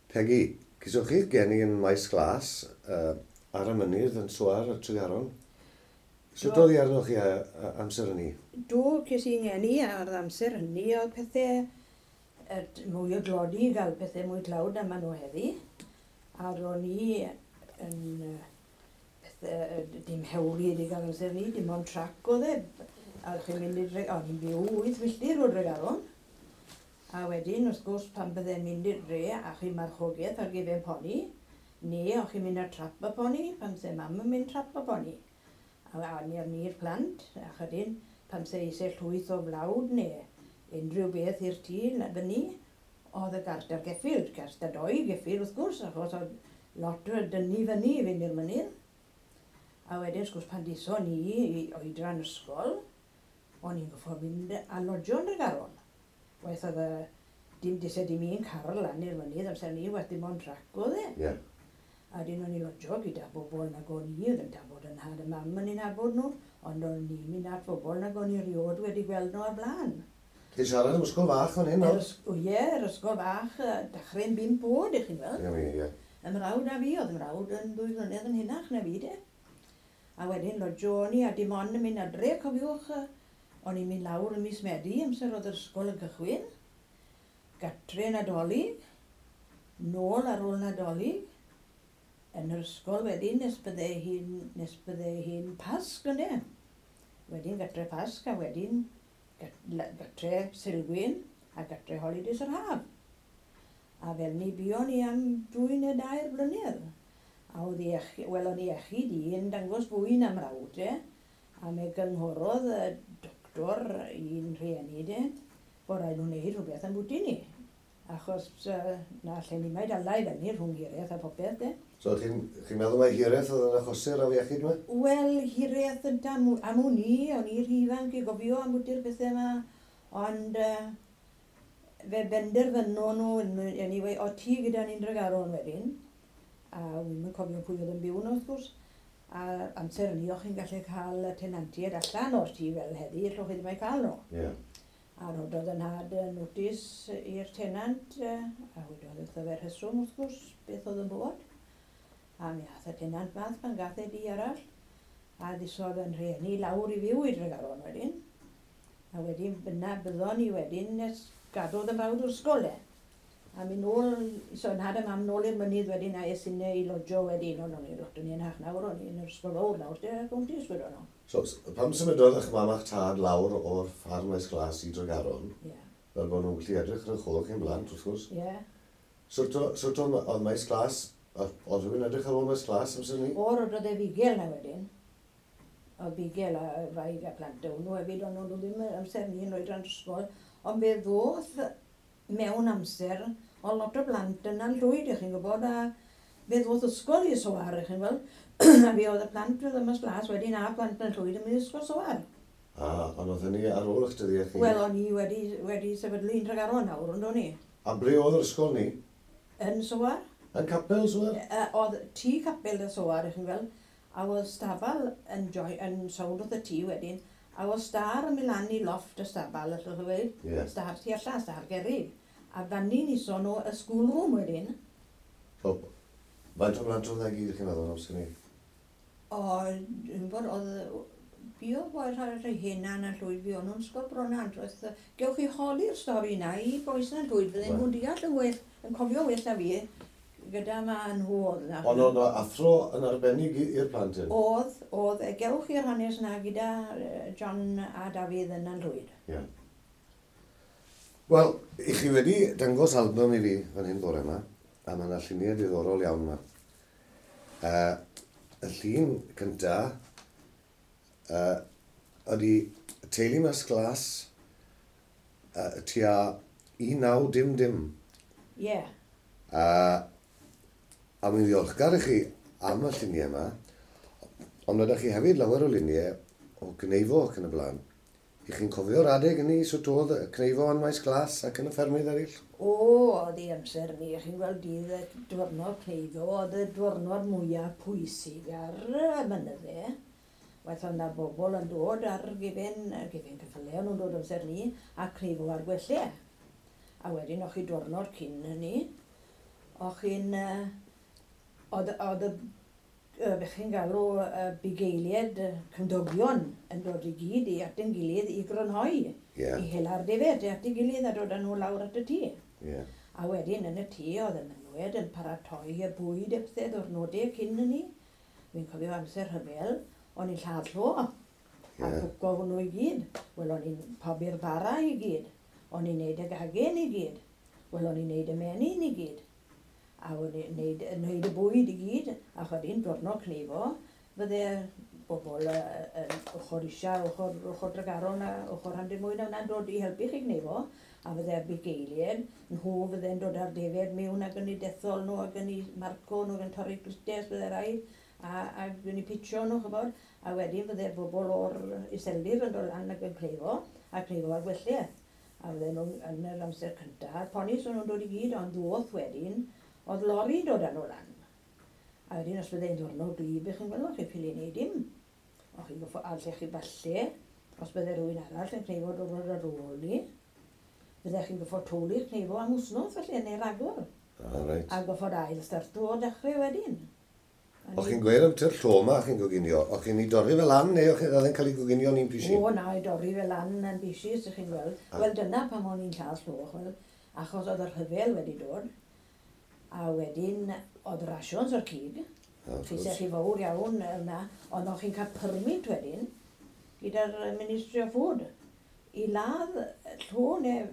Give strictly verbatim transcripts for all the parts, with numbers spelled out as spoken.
Peggy, cyswch chi'ch geni yn Maes Glas, uh, ar y mynydd yn Soar, y Tregaron. Sut oedd hi arnoch chi a, a, amser hynny? Do, ces i'n ngeni ar amser hynny, oedd pethau mwy o dlodi, gael pethau mwy tlawd na maen nhw heddi. A ro'n i yn pethau, dim hewli wedi gael amser ni, dim ond trac oedd e. A chi'n mynd i Dre... O'n i'n byw wyth milltir o Dregaron. A wedyn, wrth gwrs, pan bydde'n mynd i'r dre a chi'n marchogaeth ar gefen poni, neu o'ch chi'n mynd ar trap y poni, pan se mam yn mynd trap y poni. A, a ni ar ni'r plant, a chydyn, pan se eisiau llwyth o flawd neu unrhyw beth i'r tŷ fyny, oedd y gart ar geffyl, gart ar doi geffyl wrth gwrs, achos oedd lot o dynnu fyny i fynd i'r mynydd. A wedyn, wrth gwrs, pan diso ni i oedran ysgol, o'n i'n goffo mynd a lodjo yn Dregaron. Waeth oedd y, dim dise dim un car lan i'r mynydd amser ni, waeth dim ond trac oedd e. Yeah. A wedyn o'n i lodjo gyda bobl nag o'n i, oedd yn nabod yn nhad a mam yn ei nabod nhw, ond o'n i'n mynd at bobl nag o'n i rioed wedi gweld nhw o'r blaen. Ti'n siarad am ysgol fach fan hyn, nawr? O ie, yr ysgol fach, dechrau'n bump oed, ych chi'n weld. Ie, ie. Y mrawd a fi, oedd y mrawd yn ddwy flynedd yn hynach na fi, de. A wedyn lodjo o'n i, a dim ond yn mynd adre, cofiwch, o'n i'n mynd lawr ym mis Medi, amser oedd yr ysgol yn cychwyn, gatre Nadolig, nôl ar ôl Nadolig, yn yr ysgol wedyn nes bydde hi'n, nes bydde hi'n Pasg ynde. Wedyn gatre Pasg a wedyn gatre Sulgwyn a gatre holidays yr haf. A fel ni buon ni am dwy neu dair blynedd. A oedd iechyd, wel o'n iechyd i yn dangos fwy na mrawd e. A me gynghorodd y doctor i'n rhieni de, bod rhaid nhw wneud rhywbeth am bwti ni. Achos uh, na allen ni mae dala i fyny rhwng hiraeth a popeth de. So chi'n chi meddwl mai hiraeth oedd yn achosi'r afiechyd yma? Wel, hiraeth yn am, am wn i, o'n i rhy ifanc i gofio am bwti'r pethau yma, ond uh, fe benderfynon nhw, anyway, o ti gyda ni'n Dregaron wedyn, a wi'm yn cofio pwy oedd yn byw nhw wrth gwrs, a amser hynny o'ch chi'n gallu cael y tenantiaid allan o'r tŷ fel heddi, allwch chi ddim eu cael nhw. Yeah. A rhododd yn nhad notice i'r tenant, a wedodd wrtho fe'r rheswm wrth gwrs, beth oedd yn bod. A mi ath y tenant math pan gath e di arall, a ddisodd yn rhieni lawr i fyw i Dregaron wedyn. A wedyn byna byddon ni wedyn nes gadodd y mrawd o'r ysgol e. A mi nôl, so nhad a mam nôl i'r mynydd wedyn a es inne i lodjo wedyn, ond o'n i lot o'n i'n hach nawr, o'n i'n yr ysgol fawr nawr, de, gwmtis wedon nhw. So, pam symudodd eich mam a'ch tad lawr o'r ffarm Maes Glas i Dregaron, yeah. Fel bod nhw'n gallu edrych ar eich ôl chi'n blant, wrth gwrs? Ie. Yeah. Sut oedd Maes Glas, oedd rhywun edrych ar ôl Maes Glas amser ni? O, roedd e fugel na wedyn. Oedd fugel a wraig a plant o'n nhw hefyd, ond nhw ddim amser ni yn oedran ysgol. Ond fe ddoth mewn amser, o lot o blant yna'n llwyd, ych chi'n gwybod, a fe ddoth ysgol i Soar, ych chi'n gweld, a fe oedd y plant oedd yma Glas wedyn a plant yn llwyd yn mynd i ysgol Soar. A, ond oedd hynny ar ôl eich dyddiau chi? Wel, o'n i wedi, wedi sefydlu yn Tregaron nawr, ond o'n i. A ble oedd yr ysgol ni? Yn Soar. Yn capel Soar? E, oedd tŷ capel y Soar, ych chi'n gweld, a oedd stafal yn, joi, yn sownd wrth y tŷ wedyn, a oedd star yn mynd lan i lofft y stafal, allwch chi weud, yeah. Star tu allan, star gerrig. A fanny ni son o y schoolroom wedyn. So, faint o blant oedd e gyd, chi'n meddwl, amser ni? O, dwi'n gwybod, oedd... Buodd boi rhai rhai henan yn llwyd, fuon nhw'n ysgol Bronant. Gewch chi holi'r stori na i bois na'n llwyd, fydden nhw'n deall yn well, yn cofio well na fi, gyda ma nhw oedd na. Ond oedd athro yn arbennig i'r plant hyn? Oedd, oedd. Gewch chi'r hanes na gyda John a Dafydd yn Llwyd. Ie. Yeah. Wel, i chi wedi dangos album i fi fan hyn bore yma, a mae yna lluniau diddorol iawn yma. Uh, y llun cynta uh, ydy teulu Maes Glas uh, tua un naw dim dim. Ie. Yeah. Uh, a mae'n ddiolchgar i chi am y lluniau yma, ond ydych chi hefyd lawer o luniau o gneifo ac yn y blaen. I chi'n cofio'r adeg hynny, sut oedd y cneifo yn Maes Glas ac yn y ffermydd eraill? O, oedd ei amser ni, chi'n gweld dydd y diwrnod cneifo, oedd y diwrnod mwyaf pwysig ar y mynydde. Waeth oedd yna bobl yn dod ar gefen, gefen ceffylau, nhw'n dod amser ni, a cneifo ar gwellau. A wedyn o'ch chi diwrnod cyn hynny, O'ch chi'n... Oedd oedd y be chi'n galw y bugeiliaid cymdogion yn dod i gyd i at ein gilydd i grynhoi. Yeah. I hela'r defaid at ei gilydd a dod â nhw lawr at y tŷ. Yeah. A wedyn yn y tŷ oedd y menywod yn paratoi y bwyd a pethau ddwrnodau cyn hynny. Fi'n cofio amser rhyfel, o'n i'n lladd llo a Yeah. cwco hwnnw i gyd. Wel, o'n i'n pobi'r bara i gyd. O'n i'n neud y gagen i gyd. Wel, o'n i'n neud y menyn i gyd. A o'n i'n neud, neud y bwyd i gyd. A chwedyn, diwrnod cneifo, fydde bobl yn ochr isa, ochr, ochr Dregaron a ochr Rhandir Mwyn a hwnna'n dod i helpu chi gneifo. A fydde bugeiliaid, nhw fydde'n dod â'r defaid mewn ac yn eu dethol nhw ac yn eu marco nhw ac yn torri glustiau bydde rhaid a, ac yn eu pitio nhw, chybod. A wedyn fydde bobl o'r iseldir yn dod lan ac yn cneifo, a cneifo ar gwelliau. A fydde nhw yn yr amser cyntaf, a'r ponis o'n nhw'n dod i gyd, ond ddoth wedyn, oedd lori'n dod â nhw lan. A wedyn os bydde'n ddwrnod gwlyb, chi'n gweld, chi'n ffili neud dim. O chi'n goffo, a lle chi falle, os bydde rhywun arall yn cneifo diwrnod ar ôl ni, bydde chi'n goffo twli'r cneifo am wsnos falle, neu ragor. Ah, reit. A goffod ail starto o dechrau wedyn. A O'ch ni- chi'n gweud am ty'r llo 'ma chi'n goginio, o'ch chi'n ei dorri fel lan neu o'ch oedd e'n cael ei goginio'n un pisi? O, na, i dorri fel lan yn bisis, ych chi'n gweld. A- Wel, dyna pam o'n i'n lladd llo, ch'wel, achos oedd y rhyfel wedi dod, a wedyn oedd rations o'r cig, Ah, wrth Chi gwrs. chi fawr iawn yna, ond o'ch chi'n cael permit wedyn, gyda'r Ministry of Food, i ladd llo neu...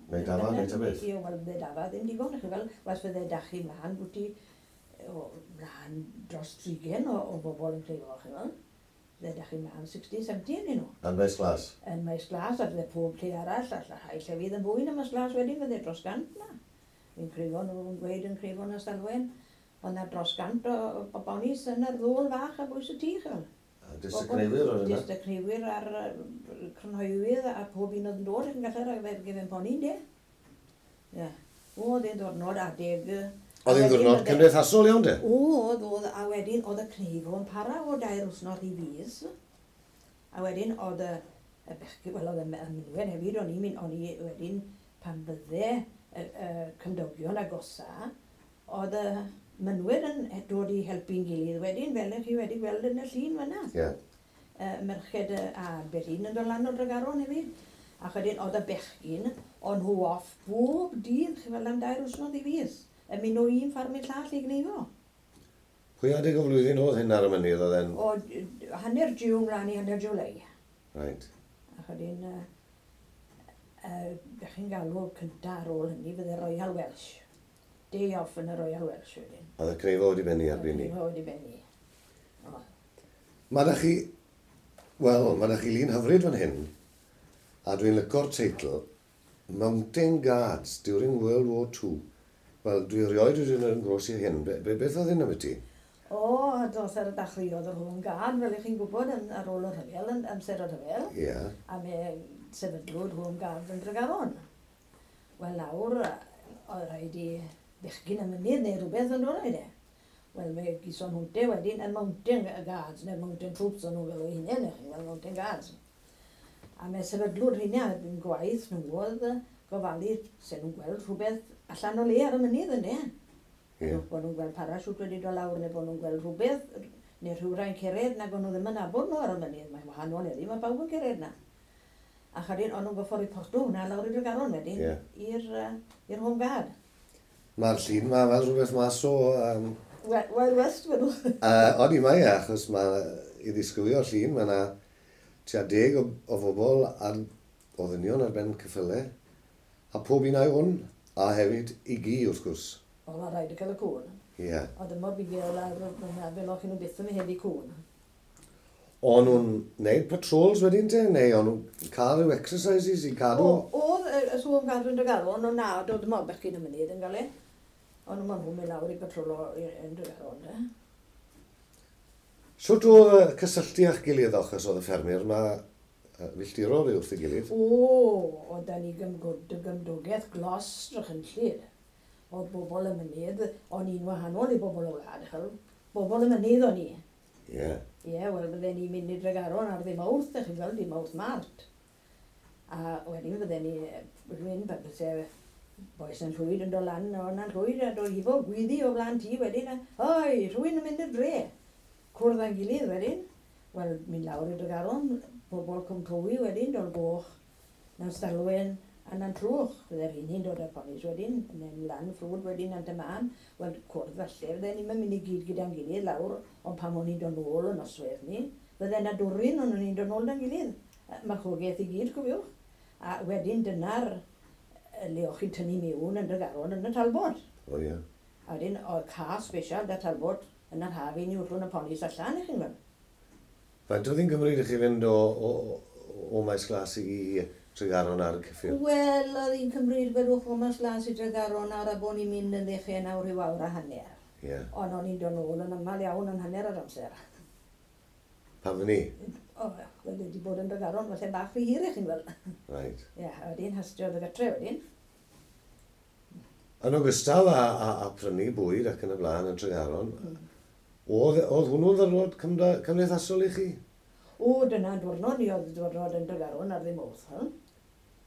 Neu dafad, neu ta beth? Ie, wel, bydde dafad ddim digon, chi fel, was fydde dach chi mlaen, bwti, o, mlaen dros trigen o, o bobl yn cleifo, chi fel. Bydde dach chi mlaen sixty, seventy yn nhw. Yn Maes Glas? Yn Maes Glas, a bydde pob lle arall, a rhai llefydd yn fwy na Maes Glas wedyn, bydde dros gant na. Fi'n creifo nhw'n gweud yn creifo yn Ystalwen, ond na dros gant o, o bonis yn yr ddôl fach a bwys y tŷ, chi fel. A Jyst y cneifwyr o'r yna? Jyst y cneifwyr a'r yy, crynhoewydd a pob un oedd yn dod yn gallu rhoi fe gefen poni, de. Ie. O, oedd e'n ddwrnod adeg... yy, Oedd a hi'n wedyn ddwrnod oedd e- cymdeithasol iawn, de? O, oedd, oedd, a wedyn oedd y cneifo yn para o dair wythnos i fis. A wedyn oedd y, y bechgyn, wel oedd y y menywod hefyd, o'n i'n mynd, o'n i wedyn pan bydde y, y cymdogion agosa, oedd y mynwyr yn dod i helpu'n gilydd wedyn, fel ych chi wedi gweld yn y llun fyna. Ie. Uh, merched yy, a ambell un yn dod lan o Dregaron hefyd. A wedyn oedd y bechgyn, o'n nhw off bob dydd, chi fel am dair wythnos i fis, yn mynd o un ffarm i'r llall i gneifo. Pwy adeg o flwyddyn oedd hyn ar y mynydd oedd e'n... O d- hanner June mlaen i hanner July. Right. A wedyn, uh, uh, be chi'n galw cynta ar ôl hynny, fydde Royal Welsh. Day off yn y Royal Welsh wedyn. Oedd y cneifo wedi bennu erbyn ni. Cneifo wedi bennu. O. Mae da chi... Wel, mae da chi lun hyfryd fan hyn, a dwi'n lyco'r teitl, Mountain Guards during World War Two. Wel, dwi erioed wedi mynd yn gros i hyn. Be, be, beth oedd hyn am ti? O, dos ar y dechreuodd yr Home Guard, fel ych chi'n gwybod, yn, ar ôl y rhyfel, yn amser y rhyfel. Ie. Yeah. A me sefydlwyd Home Guard yn Dregaron. Wel nawr, oedd rhaid i bechgyn y mynydd neu rhywbeth yn dod e. Wel, me gison nhw'nte wedyn y Mountain Guards, neu Mountain Troops o'n nhw'n fel eu hunain, chi'n gweld Mountain Guards. A me sefydlwyd rheina, yn gwaith nhw oedd gofalu, se nhw'n gweld rhywbeth allan o le ar y mynydd yndê. Ie. Bod nhw'n gweld parachute wedi dod lawr, neu bod nhw'n gweld rhywbeth, neu rhywrai'n cered nag o'n nhw ddim yn nabod nhw ar y mynydd. Mae'n wahanol heddi, mae bawb yn cered na. A chadyn, o'n nhw'n goffo reporto hwnna lawr i Dregaron wedyn, Ie. i'r uh, i'r Home Guard. Mae'r llun ma fel rhywbeth mas o... Um, Wild Wild West, wedw. uh, Oni mae e, achos mae i ddisgrifio'r llun, mae yna tua deg o, o bobl ar, o ddynion ar ben ceffylau, a pob un a'i hwn, a hefyd i gi wrth gwrs. O, mae rhaid i cael y cwn. Ie. Yeah. Oedd y mor bugel ar hwnna, fel o'ch nhw byth yn heddi cwn. O'n nhw'n neud patrols wedyn te, neu o'n nhw'n cael rhyw exercises i cadw? O, oedd y y Home Guard yn Dregaron, ond na, doedd dim ond bechgyn y mynydd yn gael e. Ond maen nhw'n mynd lawr i patrolo i- yn Dregaron, de. Shwt oedd y cysylltu â'ch gilydd achos oedd y ffermwyr yma yy, filltirol wrth ei gilydd? O, oedd da ni gymgwd, gymdogaeth glos drychynllid. Oedd bobl y mynydd, o'n i'n wahanol i bobl y wlad, ch'wel. Bobl y mynydd o'n i. Ie. Yeah. Ie, wel, bydden ni'n mynd i Dregaron ar ddydd Mawrth, ych chi'n gweld, dydd Mawrth Mart. A wedyn bydden ni, rhywun, bydde Bois yn llwyd yn dod lan o na'n llwyd a dod hifo gwyddi o flaen tŷ wedyn a oi, rhywun yn mynd i'r dre. Cwrdd â'n gilydd wedyn. Wel, mynd lawr i Dregaron, pobl Cwm Tywi wedyn, Dol Goch, Nantstalwen a Nant Trwch. Fydde'r un hi'n dod â'r ponis wedyn, yn mynd lan ffrwd wedyn Nant y Man. Wel, cwrdd falle, fydde ni'n mynd i gyd gyda'n gilydd lawr, ond pan o'n i'n dod nôl y noswaith ni, fydde 'na dwrin ond o'n i'n dod nôl 'da'n gilydd. Marchogaeth i gyd, cofiwch. A wedyn dyna'r le o'ch chi'n tynnu mewn yn Dregaron yn y Talbot. O ie. A wedyn oedd car special 'da Talbot yn yr haf i ni wllwng y ponis allan, i chi'n gweld. Faint oedd hi'n cymryd i chi fynd o, o, o Maes Glas i Tregaron ar y ceffyl? Wel, oedd hi'n cymryd, gwelwch, o Maes Glas i Dregaron ar a bod ni'n mynd yn ddechrau nawr rhyw awr a hanner. Ie. Yeah. Ond o'n i'n dod nôl yn aml iawn yn hanner yr amser. Pam fy ni? O, wel, wedi bod yn Dregaron, falle bach rhy hir i chi'n gweld. Right. Ie, a wedyn hastio oedd y gatre wedyn. Yn ogystal â, â, â prynu bwyd ac yn y blaen yn Tregaron, mm. oedd, oedd hwnnw'n ddiwrnod cymdeithasol i chi? O, dyna diwrnod ni oedd diwrnod yn Dregaron ar ddim oth.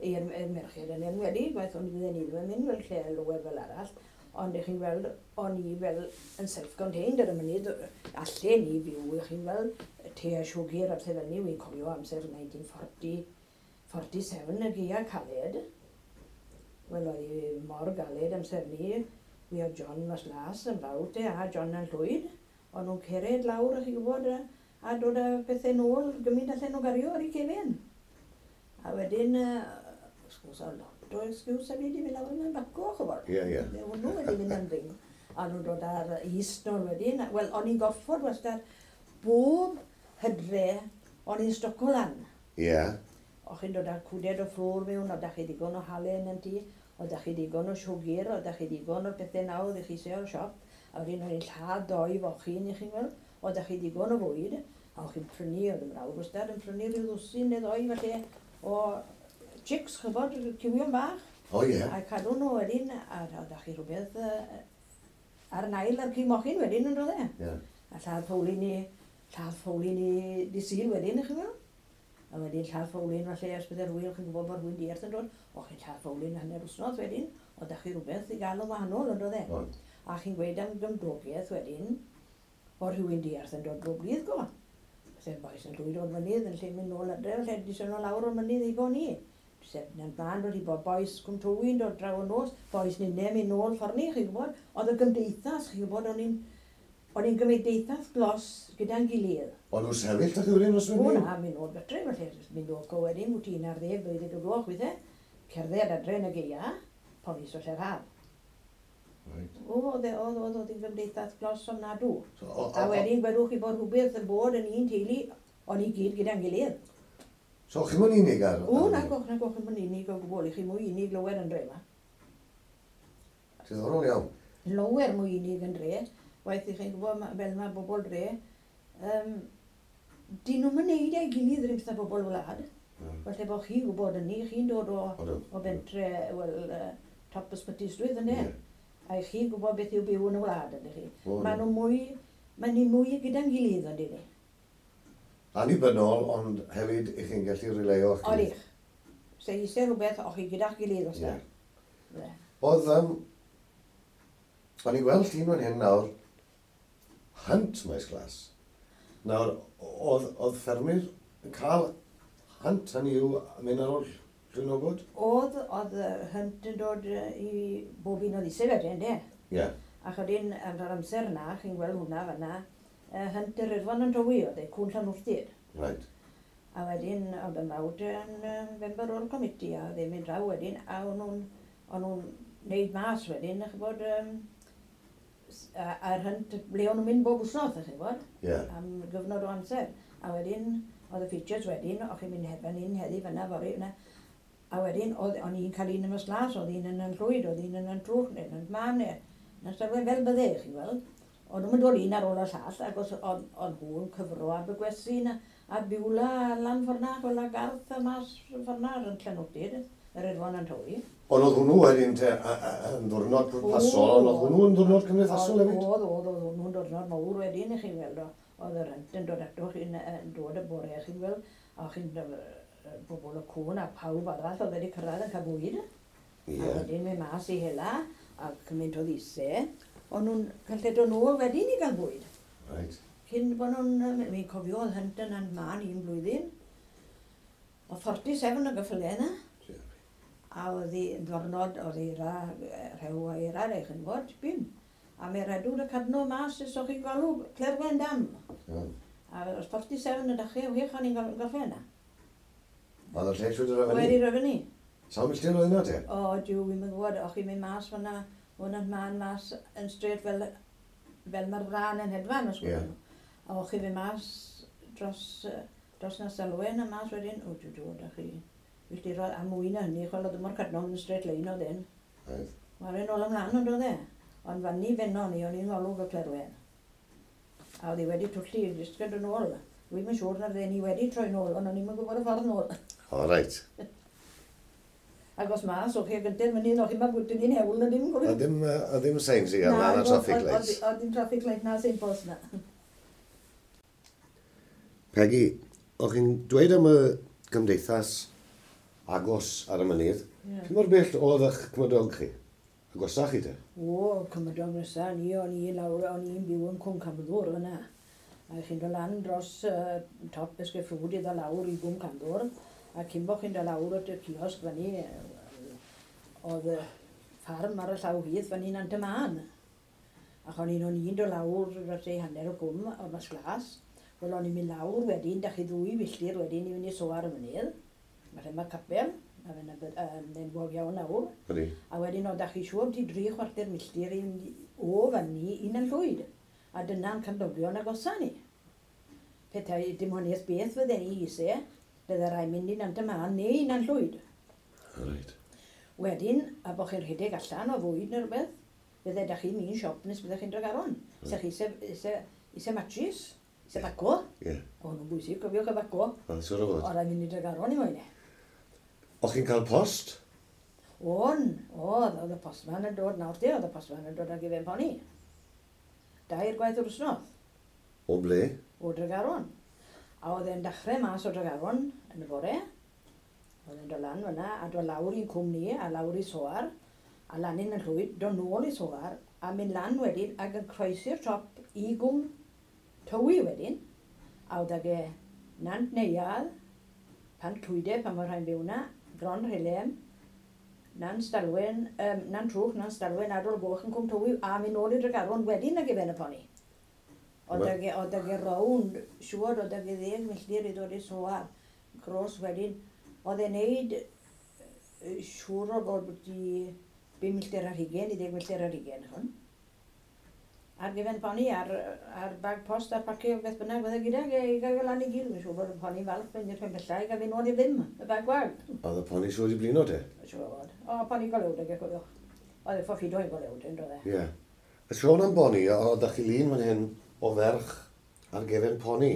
I'r merched yn enwedig, gwaith o'n i fydden ni ddim yn mynd fel lle lower fel arall. Ond i chi'n gweld, o'n i fel yn self-contained ar y mynydd, allen ni fyw, i chi'n gweld, te a siwgr a pethau fel ni, wy'n cofio amser nineteen forty, forty-seven y gaea caled. Wel, oedd hi mor galed amser ni, wi oedd John Mas Las yn fawr te, a John yn Llwyd. O'n nhw'n cered lawr, chi'n gwybod, a, a dod â pethau nôl gymaint allan nhw gario ar eu cefen. A wedyn, wrth gwrs, oedd lot o excuse a fi wedi mynd lawr yn baco, ch'bod. Ie, ie. Fe hwnnw wedi mynd am ring. A nhw'n dod ar yeast nôl wedyn. Wel, o'n i'n gorfod wastad bob hydre, o'n i'n stoco lan. Ie. O'ch chi'n dod â cwded o flour mewn, o'ch chi digon o halen yn tŷ, o'ch chi digon o siwgr, o'ch chi digon o'r pethau nawr ddech chi eisiau o'r siop. A wedyn o'n i'n lladd doi fochyn i chi'n gweld, o'ch chi digon o fwyd, a o'ch chi'n prynu, oedd y mrawd wastad yn prynu rhyw ddwsin neu ddoi falle o chicks, chybod, cywion bach. O ie. A cadw nhw wedyn, a o'ch chi rhywbeth uh, ar nail ar cig mochyn wedyn yn dod e. Ie. A lladd ffowlyn i, lladd ffowlyn i di Sul wedyn, chi'n gweld? A wedyn lladd ffowlyn falle os bydde rhywun, chi'n gwybod bod rhywun diarth yn dod, o chi'n lladd ffowlyn hanner wsnos wedyn, o da chi rhywbeth i gael yn wahanol yn dod e. Ond. A chi'n gweud am gymdogaeth wedyn, o rhywun diarth yn dod bob dydd go. Felly bois yn llwyd o'r mynydd yn lle mynd nôl adre, felly disgyn nhw lawr o'r mynydd i bo ni. Sef na'n blaen dod i bod bois Cwm Tywi'n dod draw y nos, bois ninne mynd nôl ffordd ni, chi'n gwybod. Oedd y gymdeithas, chi'n gwybod, o'n i'n o'n i'n gymdeithas glos gyda'n gilydd. O'n nhw'n sefyll da chi wedyn os O wedyn? Na, mynd nôl gatre, felly mynd nôl go wedyn, wyt ti'n ar ddeg, dwy ddeg o gloch weithiau, cerdded adre yn y gaea, ponis o lle'r haf. Right. O, oedd, e- oedd, oedd, oedd hi'n gymdeithas glos ofnadw. So, o, A o, o, wedyn gwelwch chi bod rhywbeth yn bod yn un teulu, o'n i gyd gyda'n gilydd. So chi'n mynd unig ar... O, na goch, na goch, yn unig o gwbl, i chi mwy unig lower yn dre yma. Diddorol iawn. Lower mwy unig yn dre, waith i chi'n gwybod ma- fel mae bobl dre, um, dyn nhw'n mynd ei gilydd yr un bobl wlad. Mm. Falle bod chi'n gwybod hynny, chi'n dod o, Odw. o bentre, wel, uh, top Ysbyty Ystwyth yna. Ie. A i chi'n gwybod beth yw byw yn y wlad, ydych chi. O, Mae nhw mwy, mae ni mwy gyda'n gilydd, ond ni. Annibynnol, ond hefyd i chi'n gallu releio o'ch gilydd. Odych. Se eisiau rhywbeth, o'ch chi gyda'ch gilydd os Ie. da. Oedd, um, o'n i'n gweld llun fan hyn nawr, hunt Maes Glas. Nawr, oedd, oedd ffermwyr yn cael hunt, hynny yw, mynd ar ôl llwynogod? Oedd, oedd y hunt yn dod yy, i bob un o ddisau wedyn, de. Ie. Yeah. Ac wedyn, yn yr amser yna, chi'n gweld hwnna fanna, uh, hunt yr Irfon yn Tywi, oedd e, cwn Llanwrtyd. Right. A wedyn, oedd y mrawd yn uh, member o'r committee, a oedd e'n mynd draw wedyn, a o'n nhw'n o'n nhw'n neud mas wedyn, a ch'bod, um, a'r hunt, ble o'n nhw'n mynd bob wsnos, chi'n gwybod, Ie. Yeah. am gyfnod o amser. A wedyn, oedd y features wedyn, o'ch chi'n mynd fan hyn heddi, fyna, fory, fyna. A wedyn, oedd, o'n i'n cael un yn y Glas, oedd un yn y Llwyd, oedd un yn y Trwch, neu yn y Man, neu yn y fel bydde, chi'n gweld. O'n nhw'n dod un ar ôl y llall, ac os o'n, o'n nhw'n cyfro ar Begwesyn a, a Biwla a lan ffor'na, fel a Garth a mas ffor'na yn Llanwrtyd, yr Irfon yn Tywi. Ond oedd hwnnw wedyn te, a- a- yn ddwrnod pwrpasol, ond oedd hwnnw yn ddwrnod cymdeithasol hefyd? Oedd, oedd, oedd hwnnw'n diwrnod mawr wedyn, i chi'n weld, o- oedd yr hunt yn dod ato chi'n yn dod y bore, chi'n weld, a chi'n bobl y cwn a pawb arall oedd wedi cyrraedd yn cael bwyd. Ie. A wedyn mynd mas i hela, a cymaint o ddisau, o'n nhw'n gallu dod nôl wedyn i gael bwyd. Right. Cyn bod nhw'n, mi'n cofio oedd Hunt yn man un blwyddyn, o forty-seven o gyffylau yna. A oedd hi yn ddwrnod, oedd eira, rhew a eira, eich yn fod, tipyn. A mae redwr y cadno mas, os o'ch chi'n galw Clerwen Dam. Mm. A oedd forty-seven yn dechrau, wech o'n i'n gorffen yna. Oedd y lle trwy dy Wedi rhyfynu. Sawl milltir oedd yna te? O, diw, wi'n mynd gwybod, o'ch chi'n mynd mas fyna, hwnna'n man mas yn straight fel, fel mae'r fran yn hedfan, os Ie. gwybod. A o'ch chi'n mynd mas dros, yy, dros na Selwyn a mas wedyn, o, diw, diw, o'ch chi milltiroedd a mwy na hynny, chwel oedd mor cadno yn straight line oedd hyn. Right. Mae'r ôl ymlaen ond oedd e. Ond fan ni fenno ni, o'n i'n ngolwg y Clerwen. A oedd hi wedi twllu, jyst gyda nôl. Dwi'm yn siŵr na fydden ni wedi troi nôl, ond o'n i'm yn gwybod y ffordd nôl. O, reit. Ac os mas, o'ch chi gyntaf mynydd, o'ch chi'n bwyty ni'n hewl na dim. A ddim, yy, a ddim signs i gael na, na traffic lights. Oedd dim traffic light na signpost na. Peggy, o'ch chi'n dweud am y gymdeithas agos ar y mynydd. Ie. Yeah. Mor bell oedd eich cymydog chi? Agosach chi te? O, cymydog nesa, ni o'n i lawr, o'n i'n byw yn Cwm Camddwr fyna. A chi'n dod lan dros uh, top Esgyffrwd i ddod lawr i Gwm Camddwr, a cyn bo chi'n dod lawr at y kiosg fyny, yy, oedd y ffarm ar y llaw hydd fyny Nant y Man. Ac o'n i'n o'n i'n dod lawr dros ei hanner y cwm o'r mas glas. Wel, o'n i'n mynd lawr wedyn, dach chi ddwy filltir wedyn i fynd i Soar y mynydd. Mae lle mae capel, a fe'n yn enwog iawn nawr. Ydy. A wedyn oedd chi siŵr ti dri chwarter milltir i fynd o fyny i Nant Llwyd. A dyna'n cymdogion agosa ni. Petai dim honiaeth beth fydden ni eisiau, bydde rai mynd i Nant y Man neu i Nant Llwyd. Reit. Wedyn, a bod chi'n rhedeg allan o fwyd neu rhywbeth, bydde da chi'n mynd siop nes bydde chi'n Dregaron. Se chi eisiau, eisiau, eisiau matches, eisiau baco. Ie. O, nhw'n bwysig, cofiwch y baco. Wel, siŵr o fod. O, rai mynd i Dregaron i moyn e. O'ch chi'n cael post? On, oedd, oedd y postman yn dod nawr te, oedd y postman yn dod ag i fe'n poni. Dair gwaith yr wsnos. O ble? O Dregaron. A oedd e'n dechrau mas o Dregaron yn y bore. Oedd e'n dod lan fyna a dod lawr i'n cwm ni a lawr i Soar. A lan yn y llwyd, dod nôl i Soar a mynd lan wedyn ac yn croesi'r top i Gwm Tywi wedyn. A oedd ag e Nant Neuadd, Pan Clwyde pan mae rhai'n byw na, Bron Rhilem, Nant Stalwen, um, Nant Trwch, Nant Stalwen, Adol Goch yn Cwm Tywi, a mynd nôl i Dregaron wedyn ag i fe'n y poni. Oedd ag e, oedd ag e rownd, siŵr oedd ag e ddeg milltir i ddod i Soar, gros wedyn. Oedd e'n neud yy, siŵr o fod byti bum milltir ar hugain i ddeg milltir ar hugain, hwn. Ar gyfer poni, ar, ar bag post, ar pacio, beth bynnag, fydde gydag e i gael e lan i gyd. Mae'n siŵr bod y poni'n falch mynd i'r pen pella i gael fi nôl i ddim, y bag gwag. Oedd y poni siŵr i blino te? Siŵr o fod. O, poni golewd ag e, cofiwch. Oedd e ffoffido i'n golewd, yn doedd e. Ie. Y sôn am boni, oedd chi lun fan hyn o ferch ar gefen poni.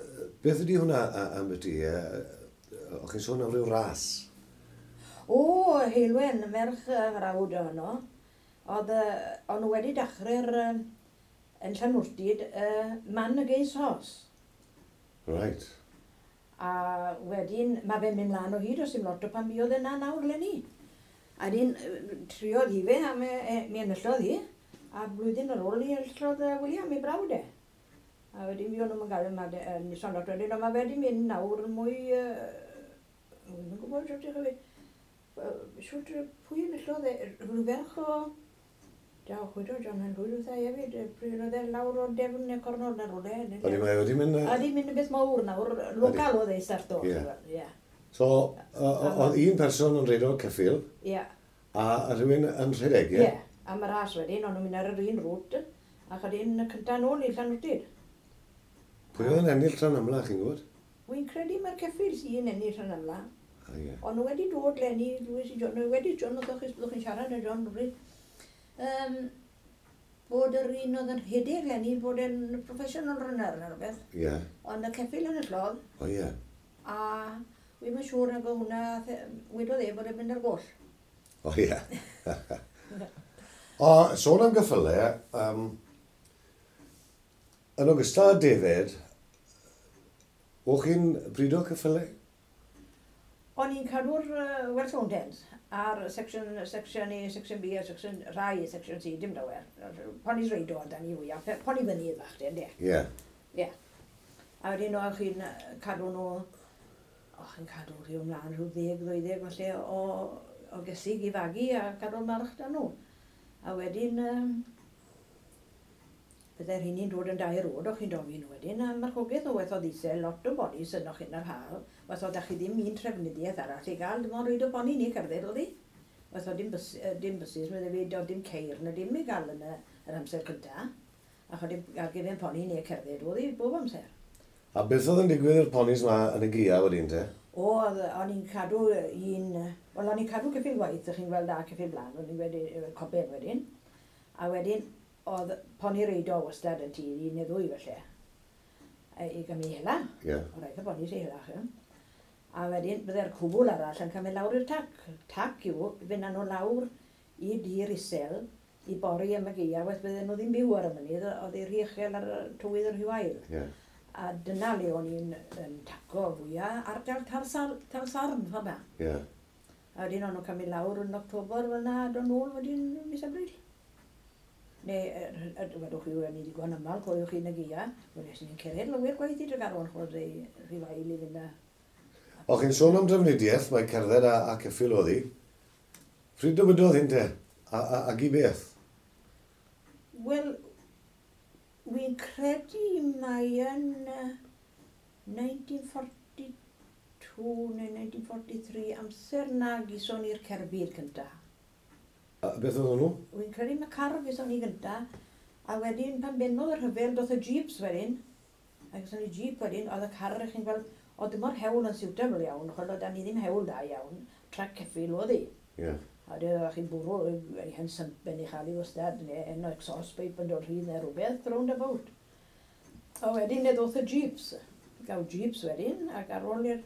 Yy, Beth ydy hwnna a- am y ti? O'ch chi'n sôn am ryw ras? O, Heilwen, merch yy, frawd ohono. Oedd, yy, o'n nhw wedi dechrau'r, yy, yn Llanwrtyd, uh, Man Against Horse. Right. A wedyn, mae fe'n mynd mlaen o hyd, os dim lot o pan buodd yna nawr leni. A wedyn, yy, triodd hi fe, a me, e, mi enillodd hi. A blwyddyn ar ôl ni enillodd yy, William ei brawd e. A wedyn mi o'n nhw'n gael yma, nison lot wedyn, ond mae fe wedi mynd nawr mwy... Yy, Dwi'm yn gwybod shwt i chi... Shwt, pwy enillodd e? Rhyw ferch o... Daw, chwydo John Hen Llwyd wrtha i hefyd, yy, pryd oedd e lawr o defn neu cornol neu rywle. O'n i mae wedi mynd... A di mynd yn beth mawr nawr, local oedd e i starto. Ie. Ie. So, o- o- oedd un person yn rhedeg ceffyl, Ie. a rhywun yn rhedeg, ie? Ie. A mae'r ras wedyn, o'n nhw'n mynd ar yr un route, ac oedd un cynta nôl i Llanwrtyd. Pwy oedd yn ennill rhan amla, chi'n gwybod? Wy'n credu mae'r ceffyl sy'n ennill rhan amla. Ah, ie. Ond nhw wedi dod leni, dwi si John, nhw wedi John, oedd chi, byddwch chi'n siarad â John rhywbryd, um, bod yr un oedd yn rhedeg leni, bod e'n professional runner neu rhywbeth. Ie. Ond y ceffyl yn y llodd, O, ie. a wi'm yn siŵr nag oedd hwnna, wedodd e bod e'n mynd ar goll. O, ie. O, sôn am geffylau, um, yn ogystal â defaid, o'ch chi'n brido ceffylau? O'n i'n cadw'r uh, Welsh Mountains, A'r section, section A, section B a section rhai, section C, dim lawer. Ponis reido oedd ni fwyaf, poni fynydd fach, de, Ie. Ie. A wedyn o'ch chi'n cadw nhw, o'ch chi'n cadw rhyw ymlaen rhyw ddeg, ddeuddeg falle o, o gesig i fagu a cadw'r march da nhw. A wedyn, um, byddai'r hynny'n dod yn dair oed, o'ch chi'n dofyn nhw wedyn, a marchogaeth o waith o ddisel, lot o bonis yn o'ch chi'n yr haf, waith o da chi ddim un trefnidiaeth arall i gael, dim ond rhaid o boni ni cerdded oedd hi. Waith o dim, bus, dim buses, meddai fi, oedd dim ceir na dim i gael yn y, yr amser cynta. Ac oedd dim ar gyfer poni neu cerdded oedd hi bob amser. A beth oedd yn digwydd i'r ponis ma yn y gia wedyn te? O, o'n i'n cadw un, wel o'n i'n cadw ceffyl gwaith, ych chi'n gweld a ceffyl blaen, o'n i'n wedi, coben wedyn. A wedyn, oedd poni reido wastad yn tir, un neu ddwy felly, i gymryd hela. Ie. Yeah. O rhaid y poni sy'n hela, chi. A wedyn, byddai'r cwbl arall yn cael mynd lawr i'r tac. Tac yw, fynd â nhw lawr i dir isel, i bori am y gaeaf, waith bydden nhw ddim byw ar y mynydd, oedd ei rhy uchel ar y tywydd yr rhy wael. Yeah. A dyna le o'n i'n yn taco fwyaf, ardal Talsarn, ffordd na. Yeah. A wedyn o'n nhw'n cael mynd lawr yn October fel na, a dod nôl wedyn mis Ebrill. Neu, wedwch chi, o'n i ddigon ymal, cofiwch chi yn y gaea, wel, es ni'n cered lawer gwaith i Dregaron, chwrdd ei rhy wael i fynd â. O, chi'n sôn am drafnidiaeth, mae cerdded a, a ceffyl oedd hi. Pryd dywydodd hyn te? A, a, ag i beth? Wel, wy'n credu mai yn nineteen forty-two neu nineteen forty-three, amser na gison ni'r cerbyd cynta. A beth oedd hwnnw? Wy'n credu mae car gison ni gynta, a wedyn pan bennodd y rhyfel, doth y jeeps wedyn, a gison ni jeep wedyn, oedd y car, chi'n gweld, oedd dim o'r hewl yn suitable iawn, chwel oedd ni ddim hewl da iawn, trac ceffyl oedd hi. Ie. A wedyn oeddech chi'n bwrw ei hen sympen i chael ei wastad, neu en exhaust pipe yn dod rhydd neu rhywbeth, round about. A wedyn e ddoth y jeeps, gael jeeps wedyn, ac ar ôl i'r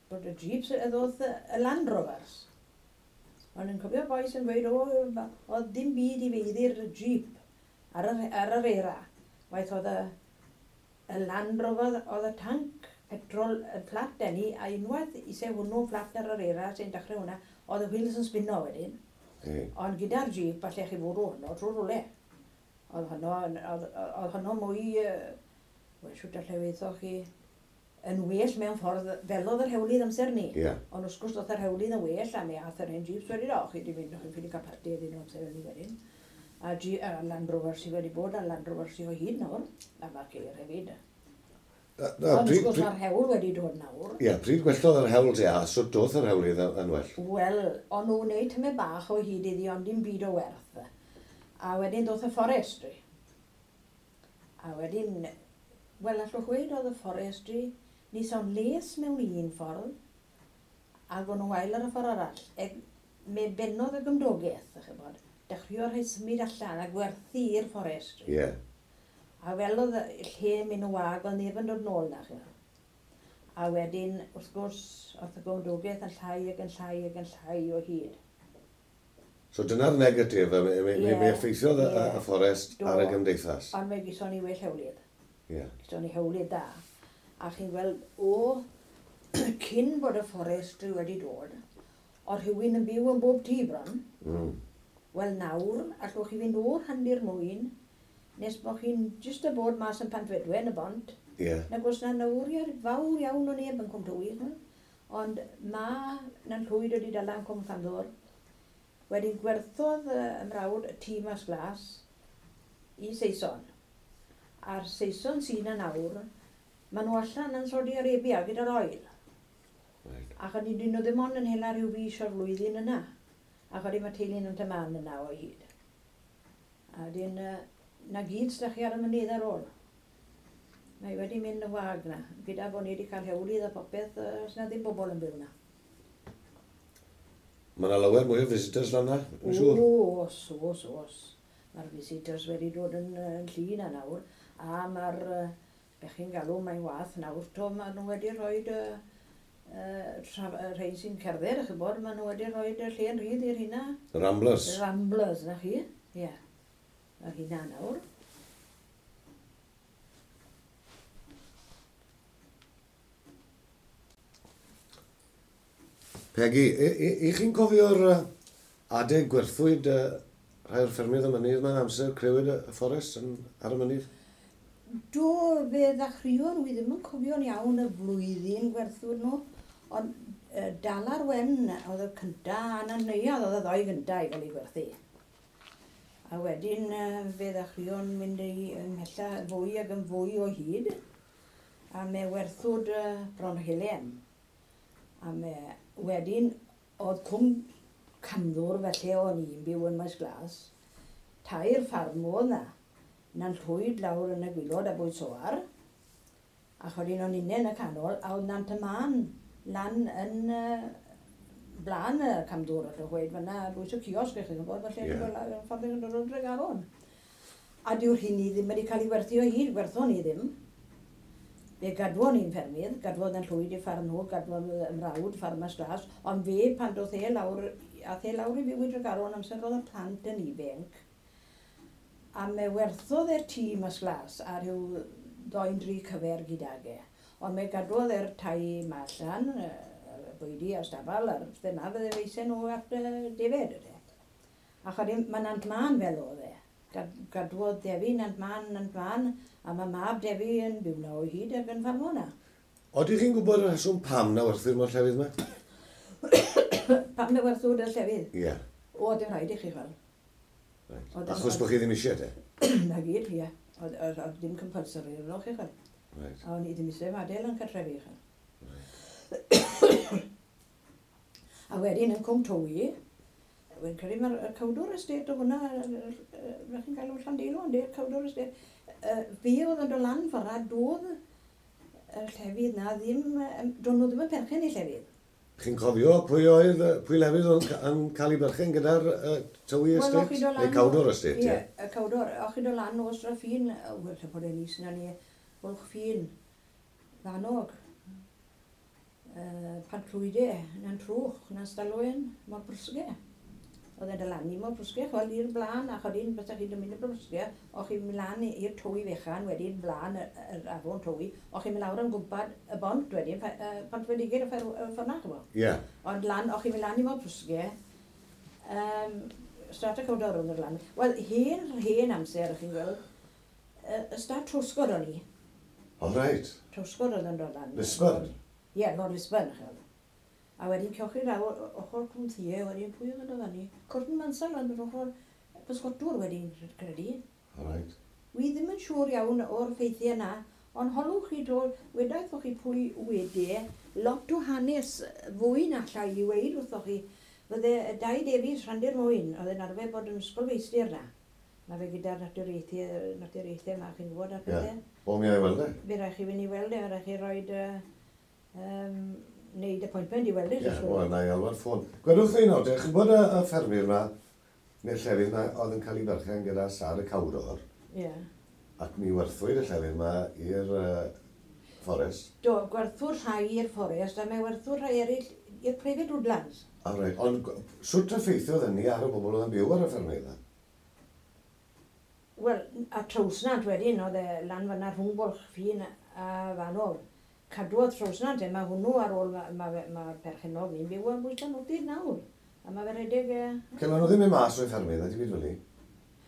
bod y jeeps e ddoth y Land Rovers. O'n i'n cofio bois yn gweud, o, oedd dim byd i feiddi'r jeep ar yr, ar yr era. Waith oedd y, y Land Rover, oedd y tanc petrol yn fflat enni, a unwaith i se hwnnw fflat ar yr era sy'n dechrau hwnna, oedd y wheels yn spinno wedyn. Hey. Ond gyda'r jeep, falle chi fwrw hwnnw trwy rwle. Oedd hwnnw, oedd, oedd hwnnw mwy, wel, siwt allai weithoch chi, yn well mewn ffordd fel oedd yr hewlydd amser ni. Yeah. Ond wrth gwrs oedd yr hewlydd yn well, a mi ath yr hen jeeps wedi, o, chi di mynd, chi'n ffili cael parti iddyn nhw amser hynny wedyn. A, G, a Land Rover sydd wedi bod, a Land Rover sydd o hyd nawr, a mae'r ceir hefyd. Na, na, Ond pryd, wrth gwrs pryd, mae'r hewl wedi dod nawr. Ie, pryd gwellodd yr hewl te, a sut doth yr hewlydd yn well? Wel, o'n nhw'n wneud tymed bach o hyd iddi, ond dim byd o werth. A wedyn doth y forestry. A wedyn, wel, allwch weud oedd y forestry, ni sa'n les mewn un ffordd, ac o'n nhw wael ar y ffordd arall. E, me bennodd y gymdogaeth, ych chi'n bod, dechreuodd rhai symud allan a gwerthu i'r forestry. Ie. Yeah. A fel oedd y lle mynd yn wag, oedd neb yn dod nôl na chi. A wedyn, wrth gwrs, oedd y gymdogaeth yn llai ac yn llai ac yn llai o hyd. So dyna'r negatif, mi, mi, Ie, mi effeithiodd y, ie. y fforest Do. ar y gymdeithas. Ond fe gison ni well hewlydd. Ie. Gison ni hewlydd da. A chi'n gweld, o, cyn bod y forestry wedi dod, oedd rhywun yn byw yn bob tŷ bron. Mm. Wel nawr, allwch chi fynd o'r handir mwyn, nes bod chi'n jyst y bod mas yn Pantfedwen y bont. Ie. Nag oes na nawriad fawr iawn o neb yn Cwm Tywi. Ond ma na'n llwyd wedi dala yn Cwm Llanddwr. Wedyn gwerthodd y ymrawd y tŷ mas glas i Saeson. A'r Saeson sy'n yna nawr, maen nhw allan yn Saudi Arabia gyda'r oil. Right. Ac o'n i nhw ddim ond yn hela rhyw fis o'r flwyddyn yna. Ac o'n i mae teulu'n yn tyman yna o hyd. A wedyn, na gyd s'da chi ar y mynydd ar ôl. Mae wedi mynd yn wag na. Gyda bod ni wedi cael hewlydd a popeth, os na ddim bobl yn byw na. Mae yna lawer mwy o visitors lan na, yn siŵr. Oes, oes, oes. Mae'r visitors wedi dod yn, yn llu na nawr. A mae'r, be chi'n galw, mae'n wath nawr, to, maen nhw wedi rhoi uh, uh, rhai sy'n cerdded, ych bod, maen nhw wedi rhoi y lle yn rhydd i'r hynna. Ramblers. Ramblers, na chi. Ie. Yeah. Mae'r hynna nawr. Peggy, i, i chi'n cofio'r adeg gwerthwyd uh, rhai o'r ffermydd y mynydd yma, amser crewyd y fforest yn, ar y mynydd? Do, fe ddechreuon, wi ddim yn cofio'n iawn y flwyddyn gwerthwyd nhw, ond uh, Dalar Wen oedd y cynta, a Nant Neuadd oedd y ddoi gynta i gael ei gwerthu. A wedyn uh, fe ddechreuon mynd i ymhella fwy ac yn fwy o hyd, a me werthwyd uh, Bron Helen. A me wedyn oedd Cwm Camddwr felly o'n i'n byw yn Maes Glas, tair ffarm oedd na, Nant Llwyd lawr yn y gwilod a Bwyd Soar, a chodyn o'n unne yn y canol, a oedd Nant y Man lan yn uh, blaen y Camddwr, allwch gweud fan'na, bwys y ciosg, eich chi'n gwybod, falle yeah. Ffordd yn dod o'r Dregaron. A dyw'r hynny ddim wedi cael ei werthu o hyd, werthon ni ddim. Fe gadwon ni'n ffermydd, gadwodd yn Llwyd i ffarm nhw, gadwodd y mrawd ffarm Maes Glas, ond fe pan doth e lawr, ath e lawr i fyw i Dregaron amser oedd y plant yn ifanc, a me werthodd e'r tŷ Maes Glas a rhyw ddoen dri cyfer gydag e. Ond me gadwodd e'r tai ma allan, y bwydi a'r stafell, a'r thema fydde feisen nhw at defed. A chodi, mae Nant Man fel oedd e. Gadwodd Defi Nant Man, Nant Man, a mae mab Defi yn byw na o hyd ac yn ffarmo na. Oedych chi'n gwybod y rheswm pam na werthu'r mor llefydd yma? Pam na werthwyd y llefydd? Ie. Yeah. O, dim rhaid i chi chwel. Right. Achos bod chi ddim eisiau te? Na gyd, ie. Oedd ddim compulsory arno chi chwel. Right. A o'n i ddim eisiau adael yn cartrefi chwel. Right. A wedyn yn Cwm Tywi, wy'n credu mae'r Cawdor Estate o hwnna, fe chi'n galw Llandeilo, ynddi, Cawdor Estate. Fe oedd yn dod lan ffordd, doedd y llefydd na ddim, doedd nhw ddim yn perchen i llefydd. Chi'n cofio pwy oedd, pwy lefydd oedd yn cael ei berchen gyda'r uh, Tywi Estate? Well, Neu Cawdor Estate, ie? Ie, y Cawdor. O'ch chi'n dod lan o Straffin, wel, lle bod e'n is na ni, Bwlch Ffin, Fanog, uh, Pantllwyde, Nant Trwch, Nant Stalwyn, Mor Brysge. Oedd e'n dod lan i Mor Brysge, chwel i'r blaen, a chod un bysach chi'n mynd i'r Brysge, o'ch chi'n mynd lan i'r Tywi fechan, wedyn blaen yr afon Tywi, o'ch chi'n mynd lawr yn gwmpad y bont wedyn, Pont Fendigir y ffordd na, ch'mo? Ie. Ond lan, o'ch chi'n mynd lan i Mor Brysge, um, Stad y Cawdor oedd yn lan. Wel, hen, hen amser, chi'n gweld, y Stad Trwsgod o'n i. O, reit. Trwsgod oedd yn dod lan. Lisburn? Ie, Lord Lisburn, ch'mo. A wedyn cewch chi lawr ochr Cwm Thie, wedyn pwy oedd yn dod fyny? Corton Mansell oedd yn ochr pysgotwr wedyn, credu. All right. Wi ddim yn siŵr iawn o'r ffeithiau na, ond holwch chi to, wedaeth o'ch chi pwy wedi, lot o hanes fwy na allai i weud wrthoch chi. Fydde Dai Davies Rhandir Mwyn, oedd yn arfer bod yn ysgolfeistr na. Mae fe gyda'r naturiaethau, naturiaethau yma, chi'n gwybod a'r pethau. Ie, o mi ai weld e. Fe rhaid chi fynd i weld e, fe rhaid chi roed um, wneud appointment i weld e. Ie, wel, na i alwad ffôn. Gwedwch chi nawr, chi'n gwybod y, y ffermyr yma, neu'r llefydd yma, oedd yn cael ei berchen gyda Sar y Cawdor. Ie. Ac mi werthwyd y llefydd yma i'r uh, fforest. Do, gwerthwyd rhai i'r fforest, a mae werthwyd rhai eraill i'r private woodlands. A reit, ond sut effeithiodd hynny ar y bobl oedd yn byw ar y ffermydd yma? Wel, a Trawsnant wedyn, oedd e lan fan'na rhwng Bwlch Ffin a Fanog. Cadwodd Trawsnant, e, mae hwnnw ar ôl, mae'r ma, ma, ma perchennog ni'n byw yn bwys Llanwrtyd nawr. A mae fe redeg... E... Cel, nhw ddim yn mas o'i ffermydd, ydy byd fel i?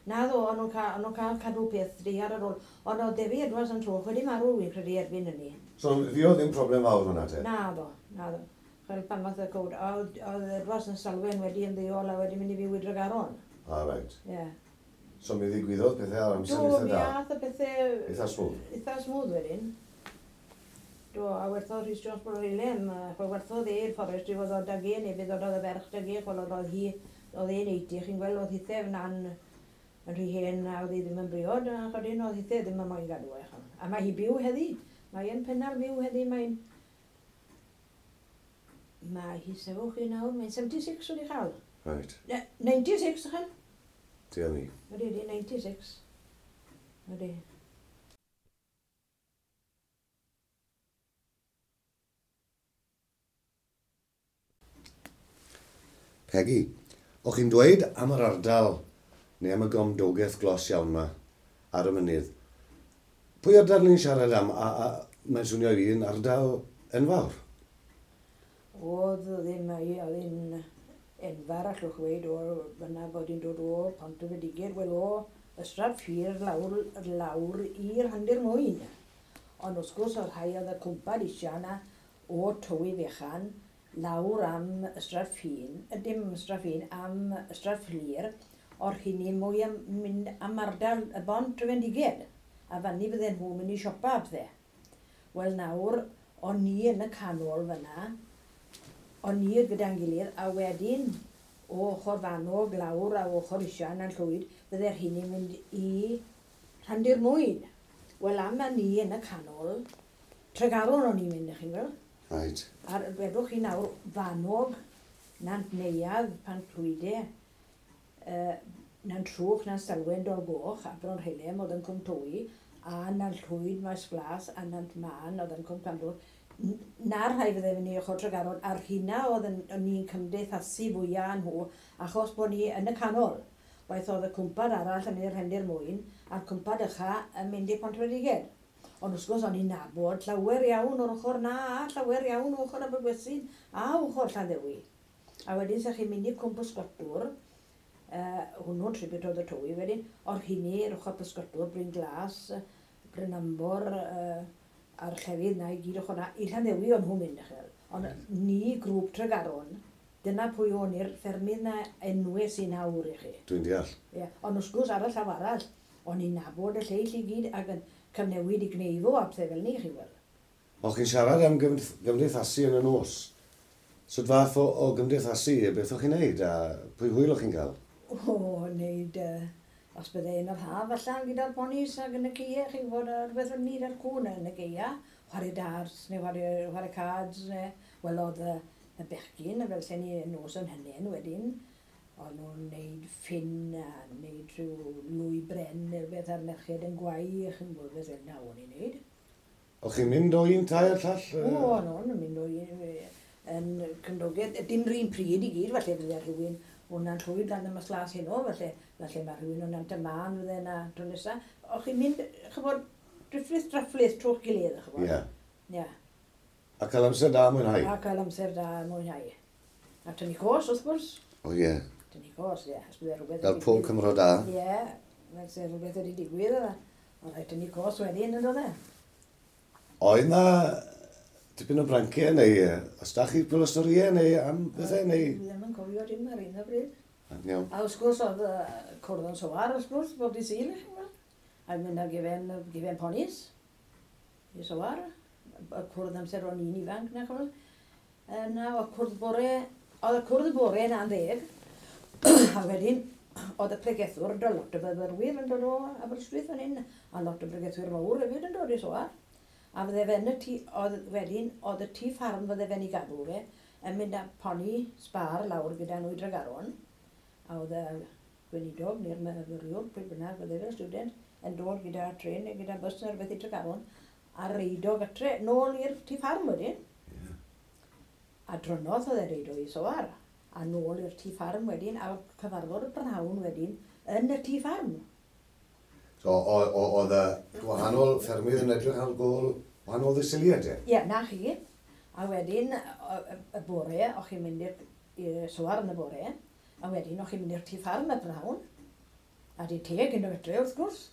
Na ddo, o'n nhw'n cael, o'n cael cadw peth deiar ar ôl. Ond oedd Defi Edwards yn trwch wedi marw, wy'n credu erbyn hynny. So, ddi oedd ddim problem fawr hwnna te? Na ddo, na ddo. Chwel pan fath y cwd, oedd, oedd Edwards yn Salwen wedi ymddeol a wedi mynd i fyw i Dregaron. Ah, reit. Ie. Yeah. So mi ddigwyddodd pethau ar amser Do, eitha mi da? ath y pethau... Eitha smooth? Eitha smooth wedyn. Do, a werthodd Rhys Jones Bro Hilem, chwel werthodd e i'r fforest, i fod o dag e, neu fydd oedd y ferch dag e, chwel oedd hi, oedd e'n eighty, chi'n gweld oedd hithe na'n yn rhy hen a oedd hi ddim yn briod, a chwel oedd hithe ddim yn moyn gadw e. Chwel. A mae hi byw heddi, mae e'n Pennal fyw heddi, mae'n... Mae hi sefwch chi nawr, mae'n seventy-six wedi chael. Right. ninety-six, chwel? Dear me. Ydy, ydy, ninety-six. Ydy. Peggy, o'ch chi'n dweud am yr ardal, neu am y gomdogaeth glos iawn yma, ar y mynydd. Pwy ardal ni'n siarad am? A, a mae'n swnio i fi yn ardal enfawr. Oedd ddim, oedd hi'n enfawr allwch weud o fyna bod hi'n dod o Pontyfediged, wel o Ystrad Fflur lawr, lawr i'r Rhandir Mwyn. Ond wrth gwrs oedd rhai oedd y cwmpad eisiau yna o Tywi Fechan lawr am Ystrad Ffin, dim Ystrad Ffin, am Ystrad Fflur, o'r hynny mwy am mynd am ardal y Bont y Fendiged. A fanny bydden nhw'n mynd i siopa a pethau. Wel nawr, o'n ni yn y canol fyna, o'n ni gyda'n gilydd, a wedyn o ochr Fanog lawr a ochr Isian a'n Llwyd, bydde'r hynny'n mynd i Rhandir Mwyn. Wel am a ni yn y canol, Tregaron o'n i'n mynd, chi'n gweld? Right. A wedwch chi nawr, Fanog, Nant Neuadd, Pant Clwyde, uh, Nant Trwch, Nant Stalwen, Dolgoch, a Bron Rhilem oedd yn Cwm Tywi, a Nant Llwyd, Maes Glas, a Nant Man oedd yn Cwm Glandŵr. Na'r rhai fydde fynd i ochr Tregaron, a'r rhina oedd yn, o'n ni'n cymdeithasu fwyaf nhw, achos bod ni yn y canol. Waith oedd y cwmpad arall yn mynd i'r Rhendir Mwyn, a'r cwmpad ycha yn mynd i Pontyfediged. Ond wrth gwrs o'n i'n nabod llawer iawn o'r ochr na, a llawer iawn o ochr Abergwesyn, a ochr Llanddewi. A wedyn sa chi'n mynd i Cwm Pysgotwr, uh, hwnnw'n tribute oedd y Tywi wedyn, o'r hynny i'r ochr Pysgotwr, Bryn Glas, Bryn Ambor, uh, a'r llefydd na i gyd ochr na, i Llanddewi o'n nhw'n mynd, chel. Ond ni, grŵp Tregaron, dyna pwy o'n i'r ffermydd na enwau sy'n awr i chi. Dwi'n deall. Ie, ond wrth gwrs ar y llaw arall, o'n i'n nabod y lleill i gyd ac yn cyfnewid i gneifo a pethau fel ni, chi weld. O'ch chi'n siarad am gymdeithasu yn y nos. Sut fath o, o gymdeithasu, beth o'ch chi'n neud a pwy hwyl o'ch chi'n cael? O, neud, uh, os bydde un o'r haf allan gyda'r ponis ac yn y ceia, chi'n gwybod, rhywbeth fel ni ar cwn yn y ceia, chwarae darts neu chwarae, chwarae cards, neu, wel oedd y, y bechgyn, fel sen ni nos yn hynny wedyn, o'n nhw'n neud ffyn a neud rhyw lwy bren neu rhywbeth a'r merched yn gwau, chi'n gwybod beth fel na o'n i'n neud. O'ch chi'n mynd o un tai i'r llall? O, o'n nhw'n mynd o un yn cymdogaeth, dim rhywun pryd i gyd, falle fydde rhywun o'n Llwyd lan y Maes Glas heno, falle, falle mae rhywun o'n Nant y Man fydde yna tro nesa. O'ch chi'n mynd, chybod, drifflith drafflith trwy'ch gilydd, chybod. Ie. Ie. A cael amser da mwynhau? A cael amser da mwynhau. A tynnu cos, wrth gwrs. O ie. Tynnu cos, ie. Os bydde rhywbeth... Fel pob Cymro da. Ie, fel se rhywbeth wedi digwydd, oedd. Ond rhaid tynnu cos wedyn, yn dod e. Oedd na tipyn o branciau neu os da chi pwyl o storïau neu am bethau neu... Dwi ddim yn cofio dim ar un o bryd. Iawn. A wrth gwrs oedd cwrdd yn Soar, wrth gwrs, bob dydd Sul, chi'n gweld. A mynd â gefen, gefen ponis i Soar. Y cwrdd amser o'n i'n ifanc, na chymod. Na, oedd cwrdd bore, oedd y cwrdd bore yna'n ddeg. A wedyn, oedd y pregethwr, do lot o fyfyrwyr yn dod o Aberystwyth fan hyn, a lot o bregethwyr mawr hefyd yn dod i Soar. A fydde fe yn y tŷ, oedd wedyn, oedd y tŷ ffarm fydde fe'n ei gadw fe, yn mynd â poni sbar lawr gyda nhw i Dregaron. A oedd y gweinidog neu'r myfyriwr, pryd bynnag fydde fe'r student, yn dod gyda tren neu gyda bus neu rhywbeth i Tregaron, a reido gatre nôl i'r tŷ ffarm wedyn. Yeah. A drynodd oedd e reido i Soar. A nôl i'r tŷ ffarm wedyn, a cyfarfod y prynhawn wedyn yn y tŷ ffarm. So, oedd y gwahanol ffermydd yn edrych ar gôl wahanol ddisiliad, e? Ie, na chi. A wedyn, y bore, o'ch chi'n mynd i'r Soar yn y bore, a wedyn o'ch chi'n mynd i'r tŷ ffarm y prynhawn. A di teg yn y gytre, wrth gwrs.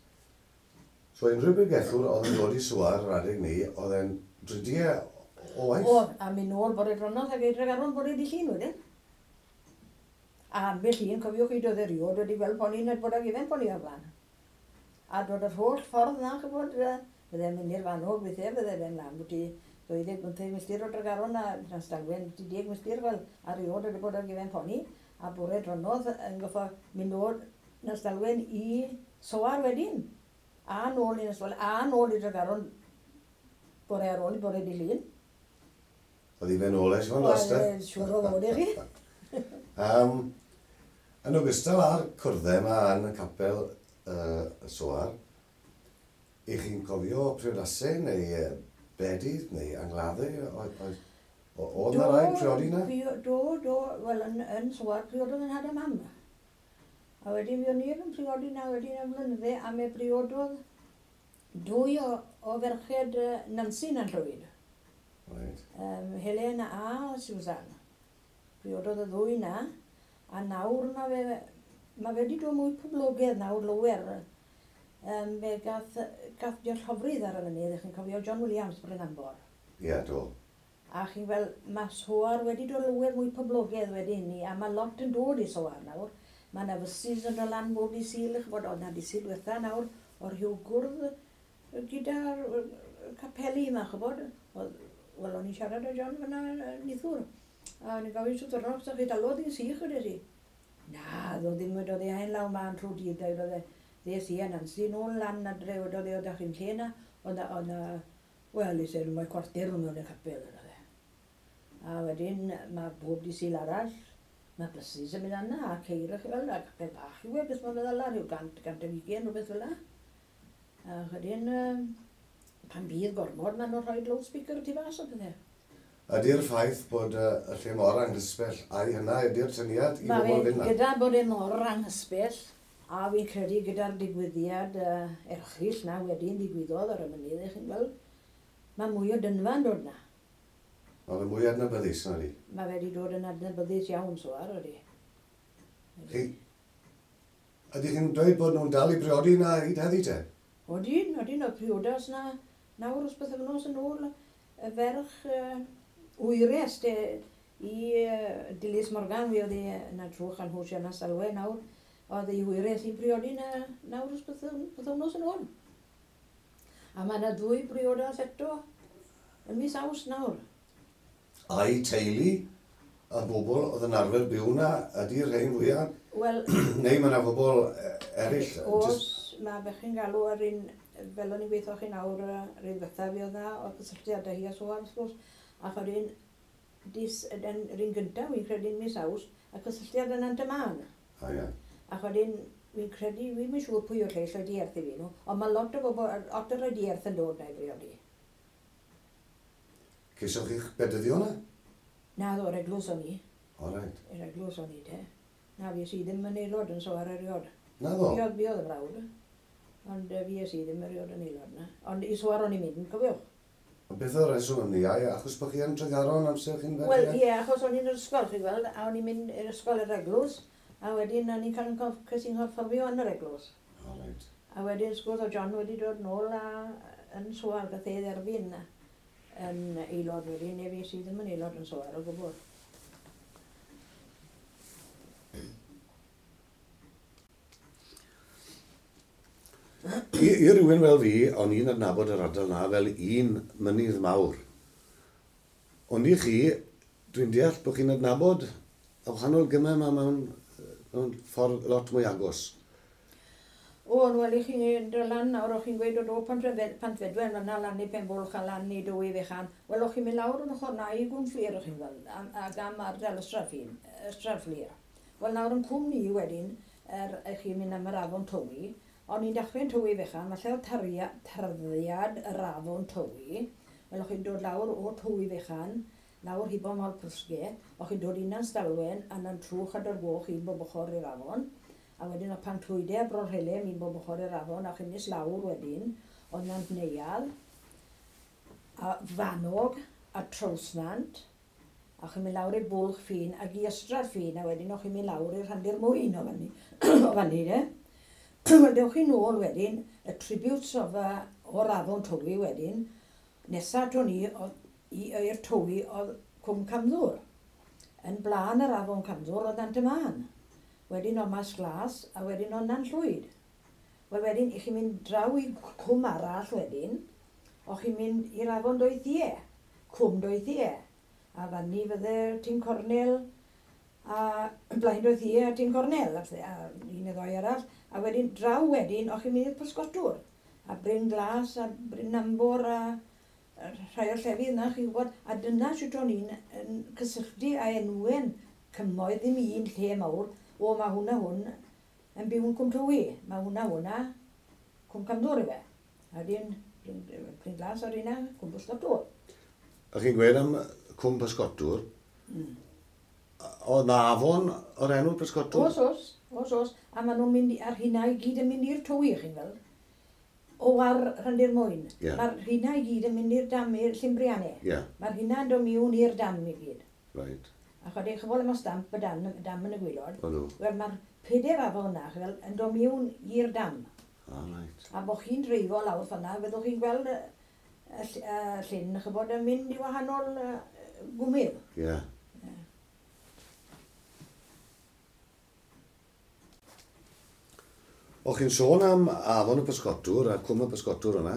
So, unrhyw bregethwr oedd yn dod i Soar yr adeg ni, oedd e'n dridiau o waith? O, a mynd nôl bore dronnodd ac edrych ar ôl bore di Llun wedyn. A ambell un, cofiwch chi, doedd erioed wedi gweld poni neu bod ag ifen poni o'r blaen. A dod yr holl ffordd na, chybod, fydde'n mynd i'r Fanog weithiau, fydde fe'n lan bwti dau ddeg bymtheg milltir o Dregaron a Llanstadwen, bwti deg milltir fel, a erioed wedi bod ag ifen poni. A bore dronnodd yn goffo mynd o'r Llanstadwen i Soar wedyn. A nôl i Llanstadwen, a nôl i Dregaron bore ar ôl i bore di Llun. Oedd i fe nôl eich fan last, e? Siŵr o ddod i chi. um, yn ogystal â'r cwrddau yma yn y capel uh, Soar, i chi'n cofio priodasau neu bedydd neu angladdau? Oedd na rai priodi na? Do, do, wel yn, yn Soar priododd yn had a mam. A wedyn fi o'n i yn priodi na wedyn am flynydde, a me briododd dwy o, o ferched Nancy na'n Llwyd. Right. Um, Helen a Susan. Priododd y ddwy na, a nawr mae fe, mae fe wedi dod mwy poblogaidd nawr lower. Um, fe gath, gath Diol Llofrydd ar y mynydd, chi'n cofio John Williams Bryn Ambor. Ie, yeah, do. A chi'n fel, mae Soar wedi dod lower mwy poblogaidd wedi hynny, a mae lot yn dod i Soar nawr. Mae yna fysus yn dod lan bob i Sul, ch'bod, oedd na di Sul ddiwetha nawr, o'r rhyw gwrdd gyda'r capeli yma, ch'bod. Wel, o'n i'n siarad â John fyna nithwr. A o'n i'n gofyn sut diwrnod, so chi dalodd i'n sych wedi si. Na, ddo ddim wedi oedd e haen law ma'n trwy dydd, oedd e ddes i a Nancy nôl lan adre, wedodd e, oedd chi'n lle na, oedd na, wel, i said, mae cwarter mewn y capel, oedd e. A wedyn, mae bob di Sul arall, mae buses yn mynd yna, a ceir chi fel, a capel bach yw e, beth mae'n feddwl rhyw gant, gant ag ugain, rhywbeth fel 'na. A wedyn, pan bydd gormod, maen nhw'n rhoi loudspeaker tu fas o pethau. Ydy'r ffaith bod y lle mor anghysbell, a'i hynna ydy'r syniad i bobl fynd na? Gyda bod e mor anghysbell, a fi'n credu gyda'r digwyddiad uh, erchyll na wedyn ddigwyddodd ar y mynydd, chi'n gweld, mae mwy o dynfa'n dod na. Mae fe mwy adnabyddus na di? Mae fe wedi dod yn adnabyddus iawn so ar, ydy. Chi, ydych chi'n dweud bod nhw'n dal i briodi na hyd heddi te? Odyn, odyn, oedd priodas na nawr os bythefnos yn ôl, y ferch uh, wyres de, i uh, Dilys Morgan, fi oedd hi yna trwch a'n hwys yna salwe nawr, oedd ei hwyres i'n briodi na nawr os bythefnos yn ôl. A mae yna ddwy briodas eto yn mis Awst nawr. A'i teulu y bobl oedd yn arfer byw na ydy'r rhain fwyaf? Wel, neu mae yna bobl eraill? Oes, mae bechgyn galw ar un, fel o'n i'n gweithio chi nawr, yr un ddiwetha fi oedd na, oedd cysylltiadau hi a so ar, wrth gwrs, ac o'r un, yr un gyntaf, fi'n credu'n mis Awst, a cysylltiad yn Antaman. A ie. Ac wedyn, fi'n credu, fi'n mynd siŵr pwy o'r lleill o'i dierth i fi nhw, ond mae lot o bobl, lot o'r dierth yn dod na i briodi. Ceisioch chi'ch bedyddio na? Na, ddo, yr eglwys o'n i. O, reit. Yr eglwys o'n i, te. Na, fi si ddim yn aelod yn so ar eriod. Na ddo? Fi oedd, fi oedd y brawd, ond fi si ddim eriod yn aelod na. Ond i Soar o'n i'n mynd, cofiwch. Ond beth oedd reswm am ni, ai, achos bod chi yn Tregaron amser chi'n ferch? Wel, ie, achos o'n i'n yr ysgol, chi'n gweld, a o'n i'n mynd i'r ysgol yr eglwys, a wedyn o'n i'n cael yn nghorfforddio yn yr eglwys. O, reit. A wedyn, wrth gwrs, oedd John wedi dod nôl a yn Soar, gath ei dderbyn yn aelod wedyn, neu fi sydd ddim yn aelod yn Soar o gwbl. I, I rywun fel fi, o'n i'n adnabod yr ardal na fel un mynydd mawr. Ond i chi, dwi'n deall bod chi'n adnabod y wahanol gymau yma mewn, mewn ffordd lot mwy agos. O, wel, i chi'n dod lan nawr, o'ch chi'n gweud o do Pantfedwen, fyna lan i Penbwlch a lan i Dwy Fechan. Wel, o'ch chi'n mynd lawr yn ochr na i Gwmfflir, o'ch chi'n gweld, ac am ardal Ystrad Fflur. Wel, nawr yn cwm ni wedyn, er, chi'n mynd am yr afon Tywi, o'n i'n dechrau'n Tywi Fechan, falle oedd tarddiad yr afon Tywi. Wel, o'ch chi'n dod lawr o Tywi Fechan, lawr hibo Moel Prysge, o'ch chi'n dod i Nanstalwen, a na'n trwch a Dorgoch un bob ochr i'r afon. A wedyn oedd Panclwydau a Bro Rhelem un bob ochr i'r afon, a chi'n nes lawr wedyn, oedd Nant Neuadd, a Fanog, a Trawsnant, a chi'n mynd lawr i'r Bwlch Ffin, ac i Ystrad Ffin, a wedyn o'ch chi'n mynd lawr i'r Rhandir Mwyn o fyny, o fyny, de. Wel, dewch chi nôl wedyn, y tributes of, uh, o'r afon Tywi wedyn, nesa ato ni i'r Tywi oedd Cwm Camddwr. Yn blaen yr afon Camddwr oedd Nant y Mân. Wedyn oedd Mas Glas a wedyn oedd Nant Llwyd. Wel wedyn, i chi'n mynd draw i cwm arall wedyn, o'ch chi'n mynd i'r afon Doethie, Cwm Doethie. A fanni fydde Tyn Cornel, a Blaen Doethie a Tyn Cornel, a, a un neu ddoi arall. A wedyn draw wedyn, o'ch chi'n mynd i'r Pysgotwr, a Bryn Glas, a Bryn Ambor, a rhai o'r llefydd yna, chi'n gwybod. A dyna sut o'n i'n yn cysylltu a enwen cymoedd ddim un lle mawr, o mae hwnna hwn yn byw yn Cwm Tywi, mae hwnna hwnna Cwm Camddwr i fe. A wedyn Bryn, Bryn Glas o'r un Cwm Pysgotwr. A chi'n gweud am Cwm Pysgotwr, mm. Oedd na afon o'r enw Pysgotwr? Oes, oes, oes, oes. A maen nhw'n mynd, ar hynna i gyd yn mynd i'r Tywi, chi'n gweld. O ar Rhandir Mwyn. Yeah. Mae'r rhina i gyd yn mynd i'r dam i'r Llymbrianne. Yeah. Mae'r rhina yn dod mewn i'r dam i gyd. Right. A chod eich chybod am y stamp y dam, dam yn y gwylod. O nhw. Wel, mae'r pedair afon yna, fel, yn dod mewn i'r dam. Ah, right. A bod chi'n dreifo lawr fan'na, fyddwch chi'n gweld y, y, ll- y llyn, chybod, yn mynd i wahanol uh, gwmydd. Ie. Yeah. O'ch chi'n sôn am afon y pysgotwr a cwm y pysgotwr yna.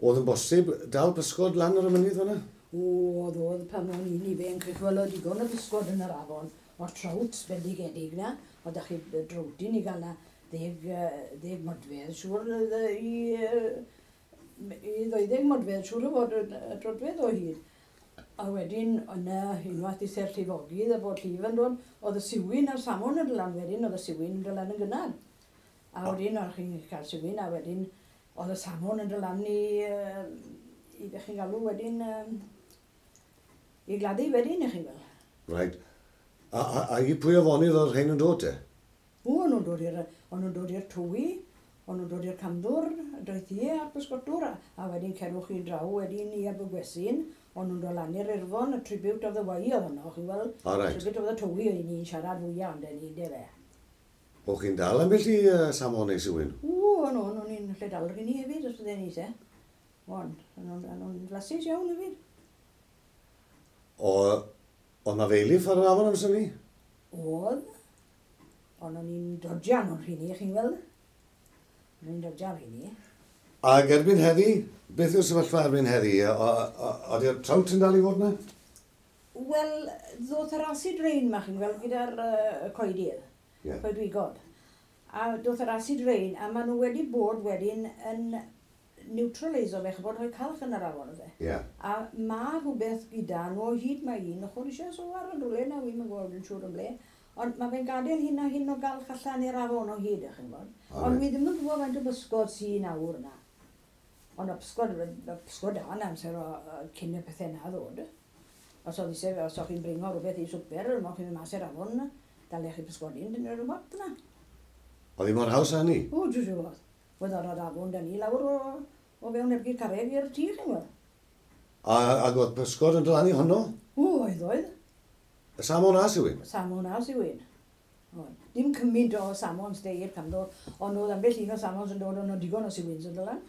Oedd yn bosib dal pysgod lan ar y mynydd fan'na? O, oedd oedd pan o'n i'n ifanc, chi'n gweld oedd digon o bysgod yn yr afon, o trouts bendigedig na, o da chi drowtyn i gael na ddeg, yy, ddeg modfedd, siŵr oedd yy, i, yy, i ddeuddeg modfedd, siŵr o fod yn y troedfedd o hyd. A wedyn, yna unwaith i ser llifogydd a bod llif yn dod, oedd y siwin a'r samon yn dod lan wedyn, oedd y siwin yn dod lan yn gynnar. A wedyn, o'ch chi'n cael siwin, a wedyn, oedd y samon yn dod lan i, yy, i be chi'n galw wedyn, yym, i gladdu wedyn, i chi'n gweld. Right. A, a, a i pwy afonydd oedd rhain yn dod te? O, o'n nhw'n dod i'r, o'n nhw'n dod i'r Tywi, o'n nhw'n dod i'r Camddwr, Doethie a'r Pysgotwr, a, a wedyn cerwch chi draw wedyn i Abergwesyn, o'n nhw'n dod lan i'r Irfon, y Tribute of the Wye oedd hwnna, chi'n gweld? O, reit. Tribute of the Tywi oedd ni'n siarad fwyaf ond ni, de fe. O'ch chi'n dal ambell i uh, samon neu siwin? O, o'n o'n o'n i'n lle dal rheini hefyd, os bydden ni se. O'n, o'n nhw'n o'n nhw'n flasus iawn hefyd. O, oedd na feilif ar yr afon amser ni? Oedd, ond o'n i'n dodjan o'n rheini, chi'n gweld? O'n i'n dodjan rheini. Ac erbyn heddi, beth yw'r sefyllfa erbyn heddi? Oeddi'r trout yn dal i fod yna? Wel, ddoth yr acid rain ma, chi'n gweld, gyda'r uh, coedydd, Ie. coedwigod. A doth yr acid rain, a maen nhw wedi bod wedyn yn neutraliso fe, ch'bod, rhoi calch yn yr afon oedd e. Ie. A ma rhywbeth gyda nhw o hyd mae un ochr eisiau so ar yn rhywle, na wi'm yn gweld yn siŵr yn ble. Ond mae fe'n gadael hyn a hyn o galch allan i'r afon o hyd, chi'n gwybod. O, Ond reit. wi ddim yn gwybod faint o bysgod sy'n nawr na. Ond y pysgod, y pysgod da yn amser o, o, cyn y pethau na ddod. Os oedd eisiau, os o'ch chi'n bringo rhywbeth i swper, o'ch chi'n mynd mas i'r afon, dalech chi pysgodyn, dyna rhywbeth yna. Oedd hi mor haws â hynny? O, dwi'n siŵr. Oedd o'r afon da ni lawr o, o fewn ergyd carreg i'r tŷ, chi'n gwybod. A, ac oedd pysgod yn dod lan i honno? O, oedd oedd. Y samon a siwin? Samon a siwin. Oedd. Dim cymaint o samons de i'r Camddwr, ond oedd ambell un o samons yn dod, ond oedd digon o siwins yn dod lan.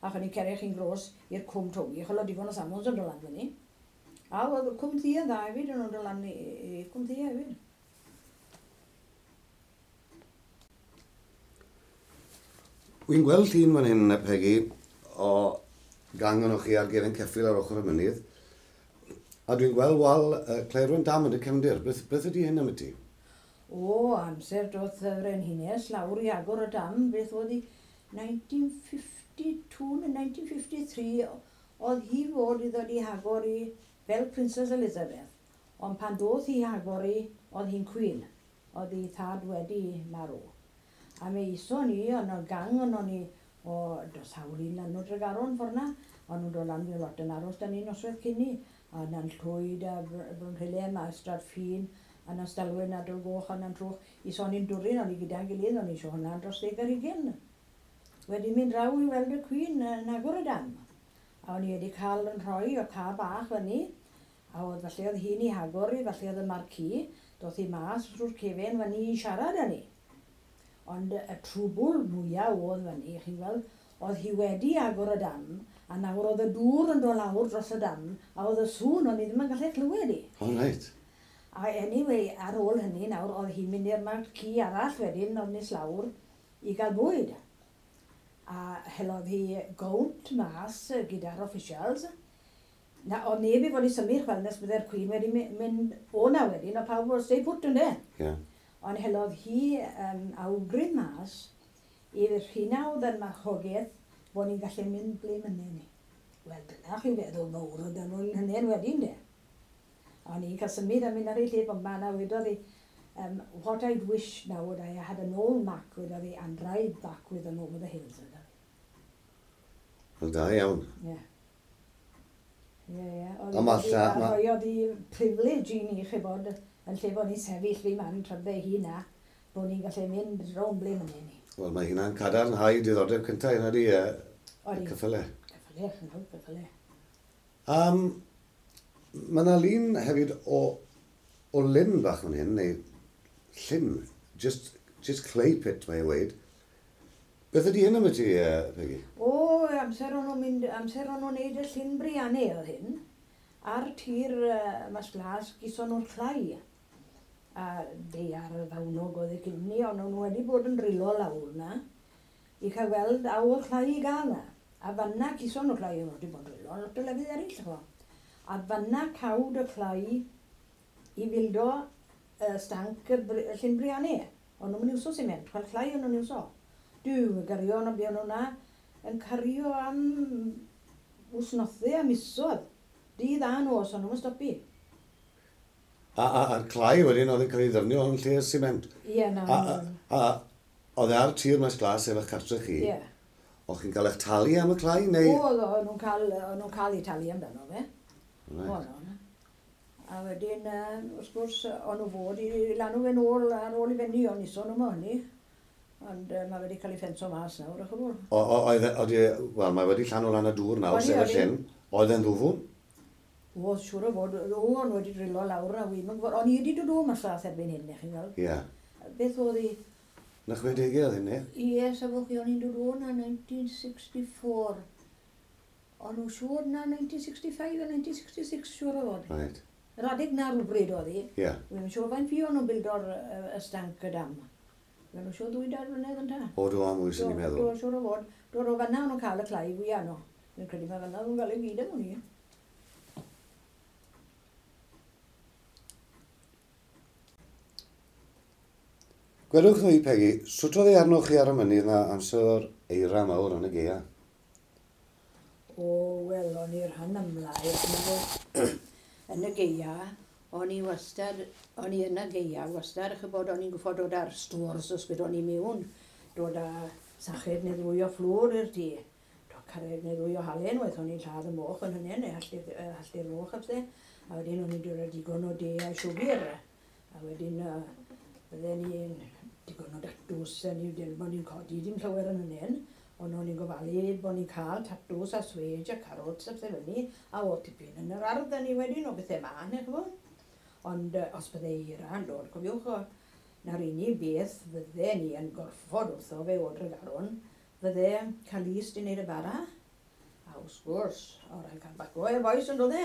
A chyn i cerech chi'n gros i'r Cwm Towi, chol oedd digon o samons yn dod lan fyny. A oedd Cwm Ddu yn dda hefyd, yn dod lan i, i Cwm Ddu hefyd. Wy'n gweld llun fan hyn, Peggy, o gang o'n chi ar gefen ceffyl ar ochr y mynydd. A dwi'n gweld wal uh, Claerwen Dam yn y cefndir. Beth, beth ydy hyn am y ti? O, amser doth y Frenhines lawr i agor y dam, beth oedd hi, nineteen fifty-two neu nineteen fifty-three, oedd hi fod i ddod i hagor i fel Princess Elizabeth. Ond pan doth hi hagor i, oedd hi'n queen. Oedd hi thad wedi marw. A mi ison ni, o'n o gang o'n ni o dros hawl un lan o Dregaron ffordd na, o'n nhw'n dod lan fe lot yn aros da ni noswaith cyn ni. A na'n Llwyd a Brynhilem a Ystrad Ffin, a na'n Stalwyn a Dolgoch a na'n Trwch. Ison ni'n dwrin, o'n i gyda'n gilydd, o'n i eisiau hwnna'n dros ddeg ar hugain. Wedi mynd draw i weld y Queen yn agor y dam. A o'n i wedi cael yn rhoi o car bach fyny, a oedd falle oedd hi'n ei hagor i, falle oedd y marquee, doth hi mas drwy'r cefen fyny i siarad â ni. Ond y trwbwl mwyaf oedd fyny, chi'n gweld, oedd hi wedi agor y dam, a nawr oedd y dŵr yn dod lawr dros y dam, a oedd y sŵn, o'n i ddim yn gallu clywed i. O, reit. A anyway, ar ôl hynny nawr, oedd hi'n mynd i'r marquee arall wedyn, oedd nes lawr, i gael bwyd. A helodd hi gownt mas gyda'r officials. Na, oedd neb i fod i symud chwel nes bydde'r Queen wedi my-, mynd o na wedyn, a pawb oedd stay put ynde. Ie. Ond helodd hi, um, awgrym mas i'r rhina oedd yn marchogaeth bod ni'n gallu mynd ble mynne ni. Wel, dyna chi'n feddwl mawr oedd nhw'n hynny'n wedyn de. O'n i'n cael symud a mynd ar ei lle bob man a wedodd hi, um, what I'd wish now would I had an old Mac, wedodd hi, and ride back with them over the hills, wedodd hi. Wel, da iawn. Ie. Ie, ie. Oedd A ma' hi wedi lla- ma' rhoiodd hi privilege i ni, chi bod, yn lle bod ni'n sefyll fi man tra bydde hi na, Bod ni'n gallu mynd rownd ble mynnyn ni. Wel, mae hynna'n cadarnhau diddordeb cyntaf yna di, e, y cyffyle. Cyffyle, nawr, cyffyle. Um, mae yna lun hefyd o, o lyn bach fan hyn, neu llyn, just, just clay pit mae e weud. Beth ydy hyn am y ti, Peggy? O, amser o'n nhw'n mynd, amser o'n nhw'n neud y llyn briannu oedd hyn. Ar tir uh, Mas Glas gison nhw'r clai. A deiar fawnog oedd y cyn ni, ond o'n nhw wedi bod yn drilo lawr na i cael gweld a oedd clai i gael na. A fanna gison nhw'r clai, o'n nhw wedi bod yn drilo, lot o lefydd eraill, ch'mo. A fanna cawd y clai i fildo uh, stanc y, y llyn briannu. O'n nhw'n iwso siment, chwel clai o'n nhw'n iwso. Duw, y garion a buon nhw na yn cario am wsnothau a misodd. Dydd a nos, o'n nhw'n stopi. A, a, a'r clai wedyn oedd yn cael ei ddefnyddio yn lle siment. Ie, na. A, a, a oedd e ar tir Maes Glas efo'ch cartre chi? Ie. O'ch chi'n cael eich talu am y clai, neu? Oedd, o'n nhw'n cael, o'n nhw'n cael eu talu amdano fe. Right. Oedd o'n. A wedyn, uh, wrth gwrs, o'n nhw fod i lanw fe'n ôl ar ôl i fyny, ond ison nhw mo hynny. Ond uh, mae wedi cael ei ffenso mas nawr, o'ch gwbl. O, o, oedd, e- oedd, e- wel, mae wedi llanw lan y dŵr nawr, sef y llyn. Oedd e'n ddwfwn? Oedd, siŵr o fod, o, o'n wedi drilo lawr a wi'm yn gwybod. O'n i wedi dod o mas las erbyn hyn, chi'n gweld. Ie. Yeah. Beth oedd hi? Na chwedegau oedd hyn, ne? Ie, safwch chi, o'n i'n dod o na nineteen sixty-four. O'n nhw siŵr na nineteen sixty-five a nineteen sixty-six, siŵr o fod. Right. Yr adeg na rhywbryd oedd hi. Ie. Yeah. Wi'n siŵr faint fi o'n nhw'n bildo'r y stanc y dam. Fe nhw siŵr ddwy dair blynedd yn ta. O, do, am wyth yn i'n meddwl. Do, siŵr o fod. Do, o fanna o'n nhw'n cael y clai fwyaf nhw. Fi'n credu mae fanna nhw'n cael ei gyd am hwn i. Gwedwch fi, Peggy, sut oedd ei arnoch chi ar y mynydd na amser o'r eira mawr yn y gaea? O, wel, o'n i'r rhan amla, yn y gaea, o'n i wastad, o'n i yn y gaea wastad, ch'bod, o'n i'n gwybod dod ar stores os gwyd o'n i mewn, dod â sached neu ddwy o fflwr i'r tŷ, dod carreg neu ddwy o halen, waith o'n i'n lladd y moch yn hynny, neu halltu'r moch a pethau, a wedyn o'n i'n dod â digon o de a siwgr, a wedyn uh, bydden ni'n digon o datws, a ni ddim bod ni'n codi dim llawer yn hynny, ond o'n i'n gofalu bod ni'n cael tatws a swêj a carrots a pethau fyny, a o tipyn yn yr ardd a ni wedyn o bethau ma, neu ch'bo. Ond uh, os bydde eira yn dod, cofiwch, o, na'r unig beth fydde ni yn gorfod wrtho fe o Dregaron, fydde cael ist i wneud y bara, a wrth gwrs, o ran cael baco e bois yn dod e.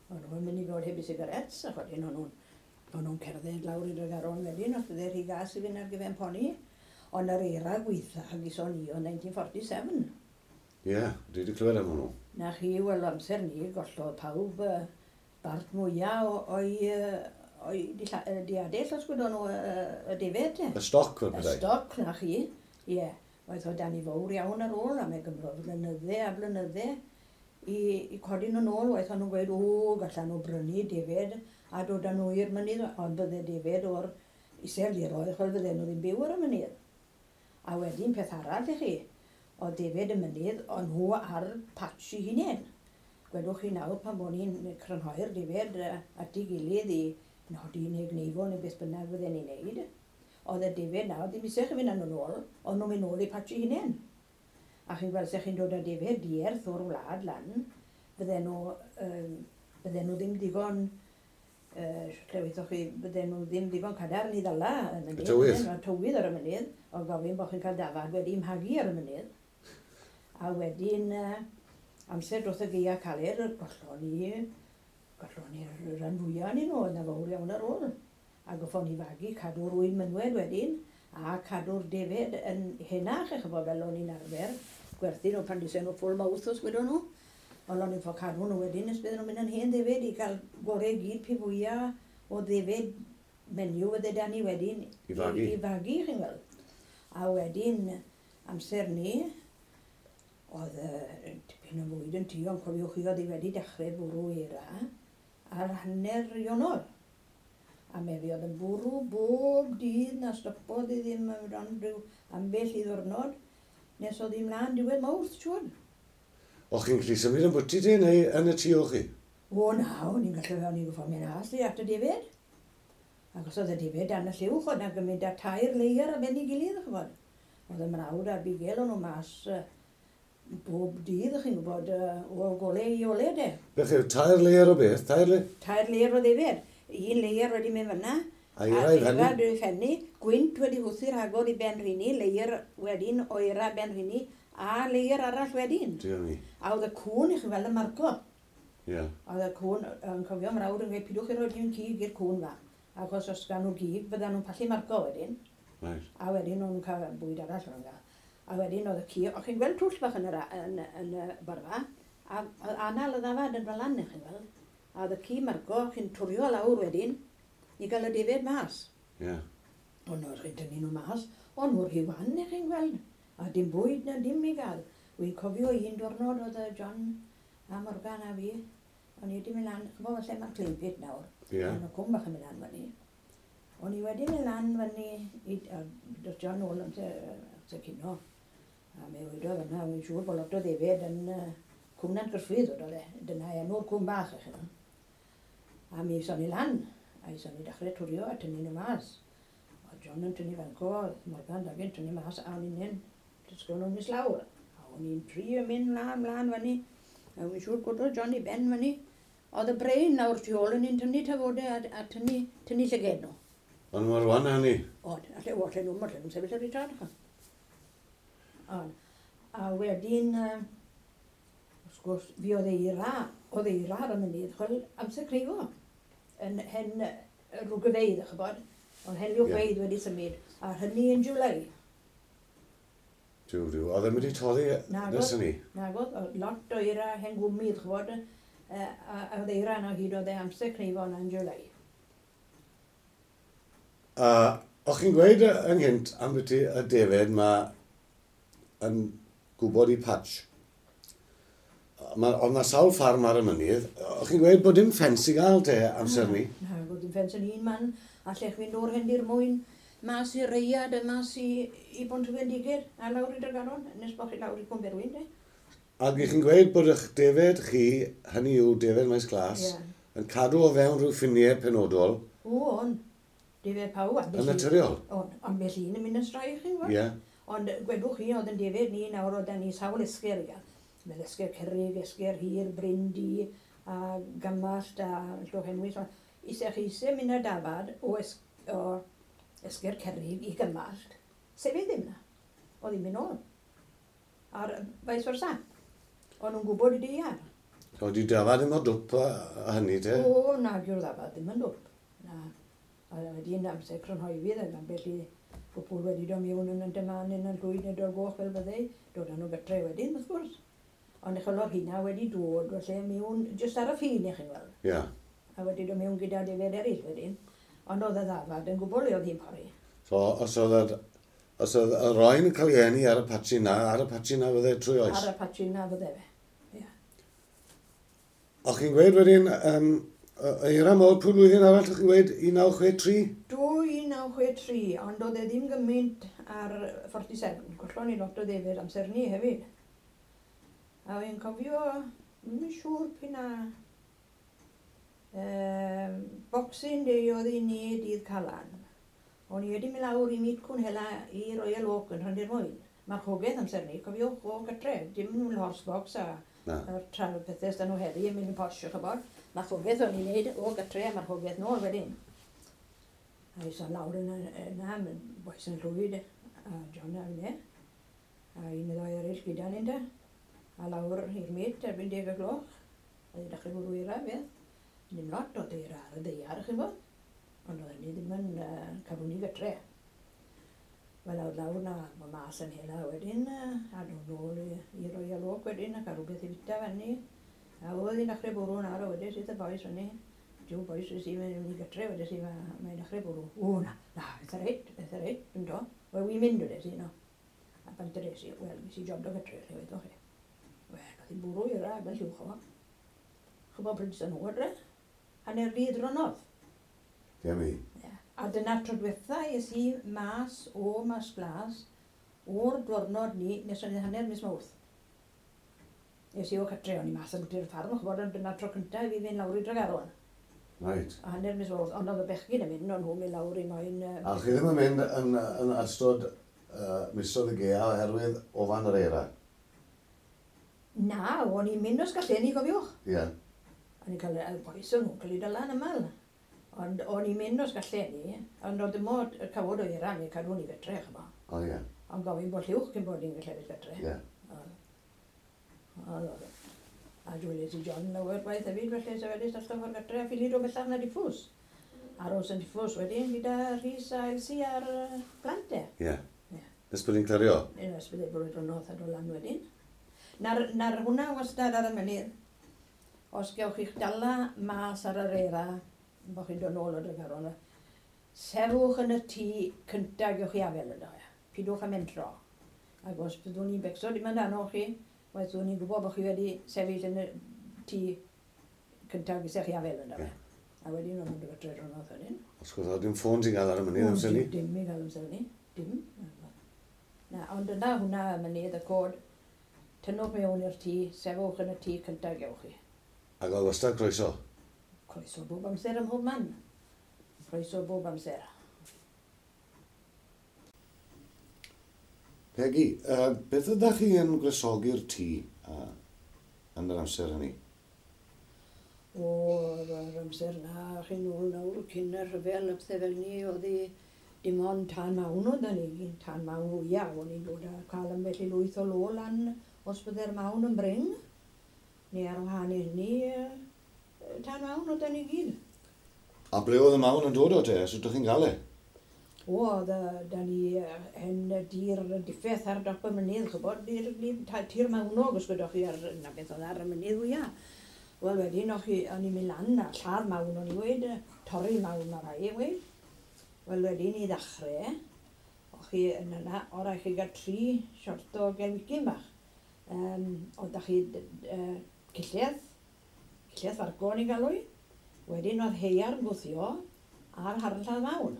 O'n nhw'n mynd i fod heb i sigarets, ac wedyn o'n nhw'n o'n nhw'n cerdded lawr i Dregaron wedyn, os bydde rhy gas i fynd ar gyfer poni. Ond yr eira gweitha gison ni o nineteen forty-seven. Ie, yeah, dwi wedi clywed am hwnnw. Na chi, wel, amser ni, gollodd pawb uh, bart mwyaf o'i o'i diadell, os gwydon nhw, y defed. Y stoc, fel petai. Y stoc, na chi, ie. Oedd o dan i fawr iawn ar ôl, a mae gymrodd blynydde a blynydde i, i codi nhw'n ôl. Oedd nhw'n gweud, o, gallan nhw brynu defed a dod â nhw i'r mynydd, ond bydde defed o'r iseldiroedd, chwel fydden nhw ddim byw ar y mynydd. A wedyn peth arall i chi, oedd defed y mynydd, o'n nhw ar patch i hunain. Gwedwch chi nawr pan bod ni'n crynhoi'r defed at ei gilydd i nodi neu gneifo neu beth bynnag fydden ni'n neud, oedd y defed nawr ddim eisiau chi fynd â nhw'n ôl, oedd nhw'n mynd ôl i patch i hunain. A chi'n gweld sech chi'n dod â defed dierth o'r wlad lan, fydden nhw, um, fydden nhw ddim digon, uh, lle weithoch chi, fydden nhw ddim digon cadarn i ddala y mynydd. Y tywydd. Y tywydd ar y mynydd, oedd gofyn bod chi'n cael dafad wedi mhagu ar y mynydd. A wedyn, uh, amser dros y gaea caled, gollon ni, gollon ni'r rhan fwyaf ni nhw, oedd na fawr iawn ar ôl. A goffon ni fagu cadw'r ŵyn mynwed wedyn, a cadw'r defed yn henach, eich bod fel o'n i'n arfer, gwerthu nhw pan disen nhw full mouth os gwydon nhw. Ond o'n i'n ffordd cadw nhw wedyn, nes bydden nhw'n mynd yn hen ddefed i gael gorau gyd pe fwyaf o ddefed menyw fydde da ni wedyn i fagu, i, i fagu chi'n gweld. A wedyn, amser ni, oedd uh, tipyn o fwyd yn tŷ, ond cofiwch chi oedd hi wedi dechrau bwrw eira ar hanner Ionawr. A me fi oedd yn bwrw bob dydd na stopodd i ddim ond rhyw ambell i ddwrnod, nes oedd hi mlaen diwedd Mawrth, siŵr. O'ch chi'n gallu symud yn bwyty ti neu yn y tŷ o'ch chi? O na, o'n i'n gallu, o'n i'n gwybod mynd as i at y defed. Ac os oedd y defaid dan y lluwch, oedd 'na gymaint â tair layer ar ben ei gilydd, ch'mod. Oedd y mrawd a'r bugel o'n nhw mas uh, bob dydd, chi'n gwybod, uh, o gole i ole de. Beth yw, tair layer o beth? Tair layer? Tair layer o ddefed. Un layer wedi mynd fyna. A eira i fenni? Eira wedi fenni. Gwynt wedi hwthu rhagor i ben rhini, layer wedyn o eira ben rhini, a layer arall wedyn. Diolch ni. A oedd y cwn, i chi weld y marco. Ie. Yeah. Oedd y cwn, yn cofio mrawd yn gweud, pidwch chi roi dim cig i'r cwn fa. Achos os gan nhw gig, byddan nhw'n pallu marco wedyn. Right. A wedyn nhw'n cael bwyd arall o'n gael. A wedyn oedd y ci, o'ch chi'n gweld twll bach yn y, yn, yn y borfa, a oedd anal y ddafad yn fel lan, chi'n gweld. A oedd y ci marco, chi'n twrio lawr wedyn, i gael y defed mas. Ie. Yeah. Ond oedd chi'n tynnu nhw mas, ond nhw'r rhy wan, chi'n gweld. A dim bwyd na dim i gael. Wy'n cofio un diwrnod oedd y John a Morgan a fi, o'n i wedi mynd lan, ch'mo' falle mae'r clay pit nawr. Ie. Yeah. Ond y cwm bach yn mynd lan fyny. O'n i wedi mynd lan fyny, i, a dos John nôl amser, amser cino. A mi wedodd yna, wy'n siŵr bod lot o ddefed yn uh, Cwm Nant Gruffydd, oedd e. Dyna enw'r cwm bach, ych chi. A mi ison ni lan, a ison ni dechrau twrio a tynnu nhw mas. O John yn tynnu fanco, Morgan Dagyn tynnu mas, a o'n i'n hyn, dysgo nhw'n mis lawr. A o'n i'n trio mynd mlaen, mlaen fyny. A wy'n siŵr gwrdd John i ben fyny. Oedd y brain lawr tu ôl yn un tynnu tafodau a, a tynnu, tynnu llyged nhw. Ond mor wan hynny? Oedd, alle, o, alle nhw, alle nhw'n sefyll ar eu traed. Ond, a wedyn, uh, wrth gwrs, fi oedd eira, oedd eira ar y mynydd, chwel, amser creifo, yn hen rwgyfeidd, chybod, oedd hen rwgyfeidd yeah. wedi symud, a hynny yn July. Diw, diw, oedd e'n wedi toddi nes hynny? Nagodd, oedd lot o eira hen gwmydd, chybod, a, a oedd eira yna hyd oedd e amser creifo yna yn July. A o'ch chi'n gweud ynghynt am beth y defed mae yn gwybod i patch. Ma, oedd na sawl ffarm ar y mynydd. O'ch chi'n gweud bod dim ffens i gael te amser ni? Na, na, bod dim ffens yn un man. Allech fynd o'r Hendir Mwyn, mas i Reiad, a mas i, i Bontwyn-diged, a lawr i Dregaron, nes bod chi lawr i Cwmberwyn, de. Ac i chi'n gweud bod eich defed chi, hynny yw defed Maes Glas, yeah. yn cadw o fewn rhyw ffiniau penodol. O, on. Defed pawb. Yn naturiol? On, ambell un yn mynd yn strai, chi'n gwybod? Ie. Yeah. Ond gwedwch chi, oedd yn defed ni nawr, oedd ni sawl esger i gael. Fel esger cerrig, esger hir, bryn du, a gymallt, a llwch enwys. Isech chi eisiau mynd â dafad o, es, o esger cerrig i gymallt, sefyll ddim na. Oedd hi'n mynd nôl. A'r vice versa. O'n nhw'n gwybod i di ar. So, di dafad ddim o dwp a, a hynny te? O, na, dyw'r ddafad ddim yn dwp. Na. A wedyn amser crynhoefydd, ac ambell i gwpwl wedi dod mewn yn y dyman yn y llwyd neu dod goch fel byddai, dod â nhw gytre wedyn, wrth gwrs. Ond eich o'r hynna wedi dod, felly mewn, jyst ar y ffin, i chi'n gweld. Ie. Yeah. A wedi dod mewn gyda defed eraill wedyn. Ond oedd y ddafad yn gwbl le oedd hi'n pori. So, os oedd os oedd y roen yn cael ei eni ar y patsi na, ar y patsi na fydde trwy oes? Ar y patsi na fydde fe, ie. Yeah. O'ch chi'n gweud wedyn, um, eira mawr, pwy flwyddyn arall o'ch chi'n gweud un naw chwe tri? Do, un naw chwe tri, ond oedd e ddim gymaint ar forty-seven. Gollon ni lot o ddefed amser ni hefyd. A wy'n cofio, ddim yn siŵr p'un a um, Boxing Day oedd i ni dydd Calan. O'n i wedi mynd lawr i Meet Cwn Hela i Royal Oak yn Rhandir Mwyn. Marchogaeth amser ni, cofiwch o gytre, dim yn horse box a a'r tra pethau sydd nhw heddi yn mynd yn posh, chybod. Marchogaeth o'n i'n neud o gytre a marchogaeth nôl wedyn. A i son lawr yna, yna, boes yn llwyd, a John a finne, a un neu ddau eraill gyda ni'n da. A lawr i'r met erbyn deg y gloch, a i dechrau bwrw eira, beth. Ddim lot o eira ar y ddaear, chi'n bod. Ond oedd hynny ddim yn uh, cadw ni gytre. Wel, awr lawr na, mae mas yn hela wedyn, a dod nôl i, i Royal Oak wedyn, a cael rhywbeth i fita fyny. A oedd hi'n dechrau bwrw nawr, a wedyn sydd y boys fyny. Jiw boys, wnes i mynd i gytre, wedyn sydd mae'n dechrau bwrw. O, na, na, eitha reit, eitha reit, dwi'n do. Wel, wi'n mynd, wedyn sydd, no. A pan dres i, wel, ges i job do gytre, lle wedoch chi. Wel, oedd hi'n bwrw i'r ag yn llwch o. Chybod pryd sy'n nhw adre? Hanner dydd ronodd. Dim i. Yeah. A dyna'r tro diwetha es i mas o Maes Glas o'r diwrnod ni nes o'n i hanner mis Mawrth. Es i o cytre, o'n i mas yn bwyty'r ffarm, ch'bod, ond dyna'r tro cyntaf i fi fynd lawr i Dregaron. Right. A hanner mis Mawrth, ond oedd y bechgyn yn mynd, ond nhw'n mynd lawr i moyn... A chi ddim yn mynd yn, yn ystod uh, misoedd y gaea oherwydd ofan yr eira? Na, o'n i'n mynd os gallen ni, gofiwch. Ie. Yeah. O'n i'n cael y bois o'n nhw'n cael eu dala yn aml. Ond o'n i'n mynd os gallen ni, ond oedd dim ond y cawod o eira ni cadw ni gytre, ch'mo. O ie. Ond gofyn bod lliwch cyn bod ni'n gallu gytre. Ie. Oedd. Oedd. A dweles i John lawer gwaith hefyd, felly se wedi stallto ffordd gytre a ffili dod bellach na Diffwys. Aros yn Diffwys wedyn gyda Rhys a Elsie a'r plant e. Ie. Yeah. Nes bod ni'n clirio? Nes bod e'n bod yn a dod lan wedyn. Na'r, na'r hwnna wastad ar y mynydd. Os gewch chi'ch dala mas ar yr eira, bod chi'n dod nôl o Dregaron, sefwch yn y tŷ cyntaf gewch chi afel yno. Pidwch am mentro. Ac os byddwn ni'n becso dim amdano chi, byddwn ni'n gwybod bod chi wedi sefyll yn y tŷ cyntaf gysech chi afel yno. Yeah. A wedyn o'n nhw'n dod gytre dronodd wedyn. Os gwrdd, dim ffôn ti'n gael ar y mynydd amser ni? Dim i gael amser ni. Dim. Na, ond yna hwnna y mynydd, y cod, tynnwch mewn i'r tŷ, sefwch yn y tŷ cyntaf gewch chi. Ac oedd wastad croeso? Croeso bob amser ym mhob man. Croeso bob amser. Peggy, uh, beth ydych chi yn gwresogi'r tŷ uh, yn yr amser hynny? O, yr amser na, chi'n ôl nawr cyn y rhyfel a pethau fel ni, oedd hi dim ond tân mawn oedd ni, tân mawn fwyaf, o'n i'n dod a cael ambell i lwyth o lo lan os bydde'r mawn yn brin, neu ar wahân i hynny, tân mawn oedd ni gyd. A ble oedd y mawn yn dod o te, sut ydych chi'n gael e? O, oedd da ni hen dir diffeth ar dop y mynydd, chybod, dir, tir mawnog os gwyddoch chi ar, na beth oedd ar y mynydd fwyaf. Wel wedyn, o'ch chi, o'n i'n mynd lan a lladd mawn o'n i weid, torri mawn ar rai weid. Wel wedyn i ddechrau, o'ch chi yn yna, o rai chi gael tri siort o gelwicyn bach. Um, oedd da chi uh, cilledd, cilledd fargo o'n i'n galw i. Wedyn oedd heiarn gwthio a'r harn lladd mawn.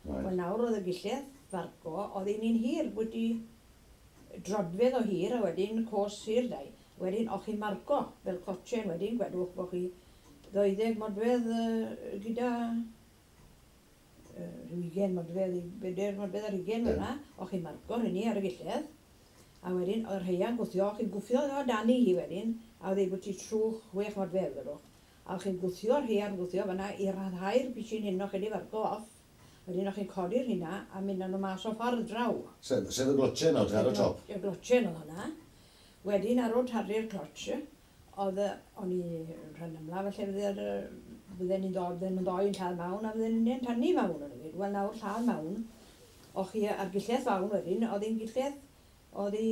Right. Wel nawr oedd y gilledd fargo, oedd un un hir, wedi drodfedd o hir a wedyn cos hir dau. Wedyn o'ch chi'n marco fel cotchen, wedyn gwedwch bod chi ddeuddeg modfedd uh, gyda uh, rhyw ugain modfedd, bedair modfedd ar ugain yeah. Fyna, o'ch chi'n marco hynny ar y gilledd. A wedyn oedd rheia'n gwthio, o'ch chi'n gwthio o dan i hi wedyn, a oedd ei bwti trwch chwech modfedd gwedwch. A o'ch chi'n gwthio'r rheia'n gwthio fyna i ryddhau'r pishin hyn o'ch chi wedi farco off. Wedyn o'ch chi'n codi'r hynna a mynd â nhw mas o ffordd draw. Sef, sef y glotchen oedd ar y top? Y glotchen oedd hwnna. Wedyn ar ôl tarru'r clotch, oedd o'n i rhan ymla, felly bydden ni'n bydden nhw'n ddoi'n lladd mawn a bydden ni'n tynnu mawn o'n i. Wel nawr lladd mawn, o'ch chi ar gillell fawn wedyn, oedd hi'n gillell, oedd hi,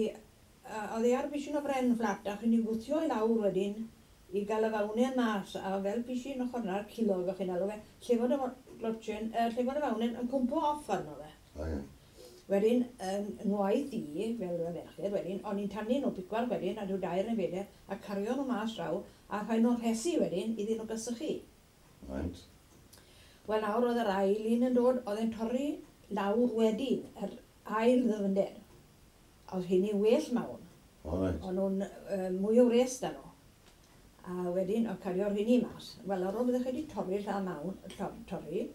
oedd hi ar bishyn o bren fflat, a chi'n ei gwthio i lawr wedyn i gael y fawnen mas, a fel bishyn ochr na'r cilog o'ch chi'n alw fe, lle fod y glotchen, uh, lle fod y fawnen yn cwmpo off arno fe. O, ie. Wedyn, yng ngwaith i, fel y ferched, wedyn, o'n i'n tynnu nhw picwar wedyn, a rhyw dair neu bedair, a cario nhw mas draw, a rhoi nhw'n rhesi wedyn iddyn nhw gysychu. Right. Wel nawr oedd yr ail un yn dod, oedd e'n torri lawr wedyn, yr ail ddyfnder. Oedd hynny well mawn. O, right. O'n nhw'n uh, mwy o wres da nhw. A wedyn, oedd cario'r hynny mas. Wel, ar ôl byddech chi wedi torri'r lladd mawn, torri,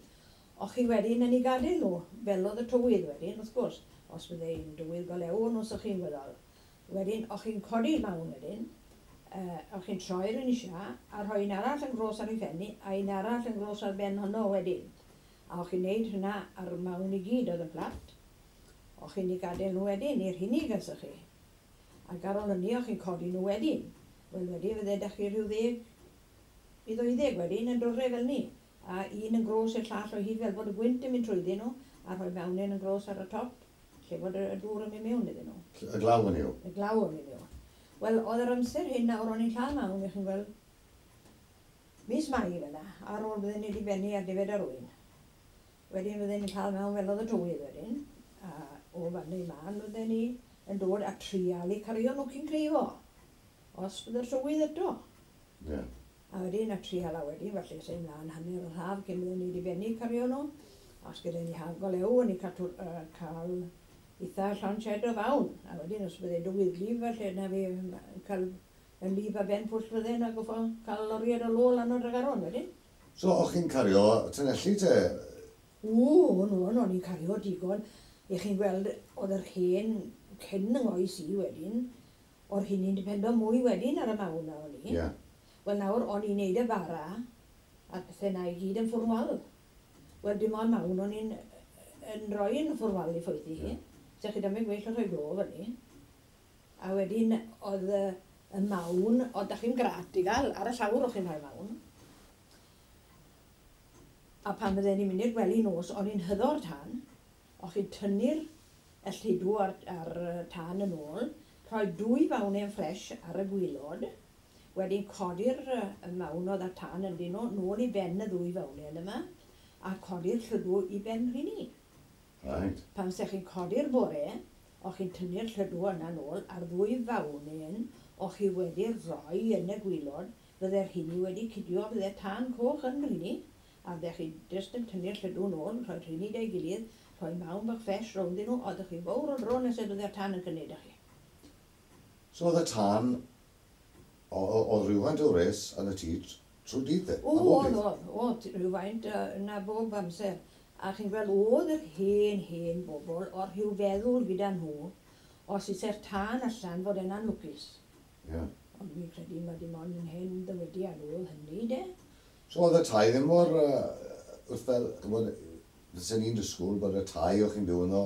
o'ch chi wedyn yn ei gadael nhw, fel oedd y tywydd wedyn, wrth gwrs. Os bydde hi'n dywydd golew, os o'ch chi'n gweddol. Wedyn, o'ch chi'n codi'r mawn wedyn, uh, o'ch chi'n troi'r un isio, a rhoi un arall yn gros ar ei phenni, a un arall yn gros ar ben honno wedyn. A o'ch chi'n neud hynna ar mawn i gyd oedd yn fflat. O'ch chi'n ei gadael nhw wedyn, i'r hynny gysych chi. Ac ar ôl hynny, o'ch chi'n codi nhw wedyn. Wel, wedyn fydde dach chi rhyw ddeg i ddeuddeg wedyn yn dod fel ni. A un yn gros i'r llall o hyd fel bod y gwynt yn mynd trwyddyn nhw, a rhoi mewnyn yn gros ar y top, lle bod y dŵr yn mynd mewn iddyn nhw. Y glaw yn yw? Y glaw yn mynd mewn. Wel, oedd yr amser hyn nawr o'n i'n lladd mawn, chi'n gweld, mis Mai fel yna, ar ôl bydden ni wedi bennu ar defaid ar ŵyn. Wedyn bydden ni'n lladd mewn fel oedd y tywydd wedyn, a o fan i man bydden ni yn dod a trial i cario nhw cyn creifo, os bydde'r tywydd eto. Ie. Yeah. A wedyn, a trial a wedyn, falle sy'n mlaen hanner yr haf cyn bydden ni wedi bennu cario nhw. Os gyda ni haf golew, o'n i cael, uh, cael eitha llond shed o fawn. A wedyn, os bydde dywydd lif, falle na fi cael yn lif a ben pwll fydden a goffo cael loriad o lo lan o'r Dregaron wedyn. So, o'ch chi'n cario tunelli te? O, no, no, o'n i'n cario digon. I chi'n gweld, oedd yr hen cyn yng ngoes i wedyn, o'r hyn i'n dependo mwy wedyn ar y mawn na o'n i. Yeah. Wel nawr, o'n i'n neud y bara, a'r pethau na i gyd yn ffwrnwal. Wel, dim ond mawn o'n i'n yn rhoi yn ffwrnwal i ffwythi hi. Yeah. So chi dyma gwell o rhoi glo fyny. A wedyn, oedd y, y mawn, oedd da chi'n grat i gael, ar y llawr o'ch chi'n rhoi mawn. A pan fydden ni'n mynd i'r gwely nos, o'n i'n hyddo'r tân, o'ch chi'n tynnu'r y lludw ar, ar y tân yn ôl, rhoi dwy fawnen ffres ar y gwylod, wedyn codi'r yy, y mawn oedd ar tân ynddyn nhw, nôl i ben y ddwy fawnen yma, a codi'r lludw i ben rheini. Right. Pan se chi'n codi'r bore, o'ch chi'n tynnu'r lludw yna nôl, a'r ddwy fawnen o'ch chi wedi rhoi yn y gwylod, fydde'r rheini wedi cydio, fydde tân coch yn rheini, a fydde chi jyst yn tynnu'r lludw nôl, rhoi rheini da'i gilydd, rhoi mawn bach ffres rownd nhw, oeddech chi fawr o dro nes y bydde'r tân yn cynnig chi. So oedd y tân, oedd rhywfaint o wres yn y tŷ trwy dydd de? O, oedd, oedd, oedd, rhywfaint yna bob amser. A chi'n gweld, oedd yr hen, hen bobl o'r rhyw feddwl gyda nhw, os eisiau'r tân allan fod e'n anlwcus. Ie. Yeah. Ond fi'n credu mae dim ond yn hen ddywediad oedd hynny, de. So oedd y tai ddim mor, uh, wrth fel, ch'mod, fysen ni'n disgwyl bod y tai o'ch chi'n byw yno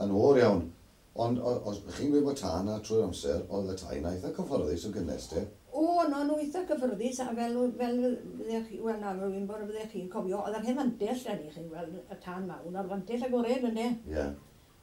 yn oer iawn. Ond os chi'n gweud bod tân na trwy'r amser, oedd y tai na eitha cyfforddus o gynnes te? O, no, nhw eitha cyffyrddus, a fel, fel fyddech chi, wel na, rwy'n bod fyddech chi'n cofio, oedd yr hen fantell da ni, chi'n gweld y tân mawn, o'r fantell agored yna. Ie. Yeah.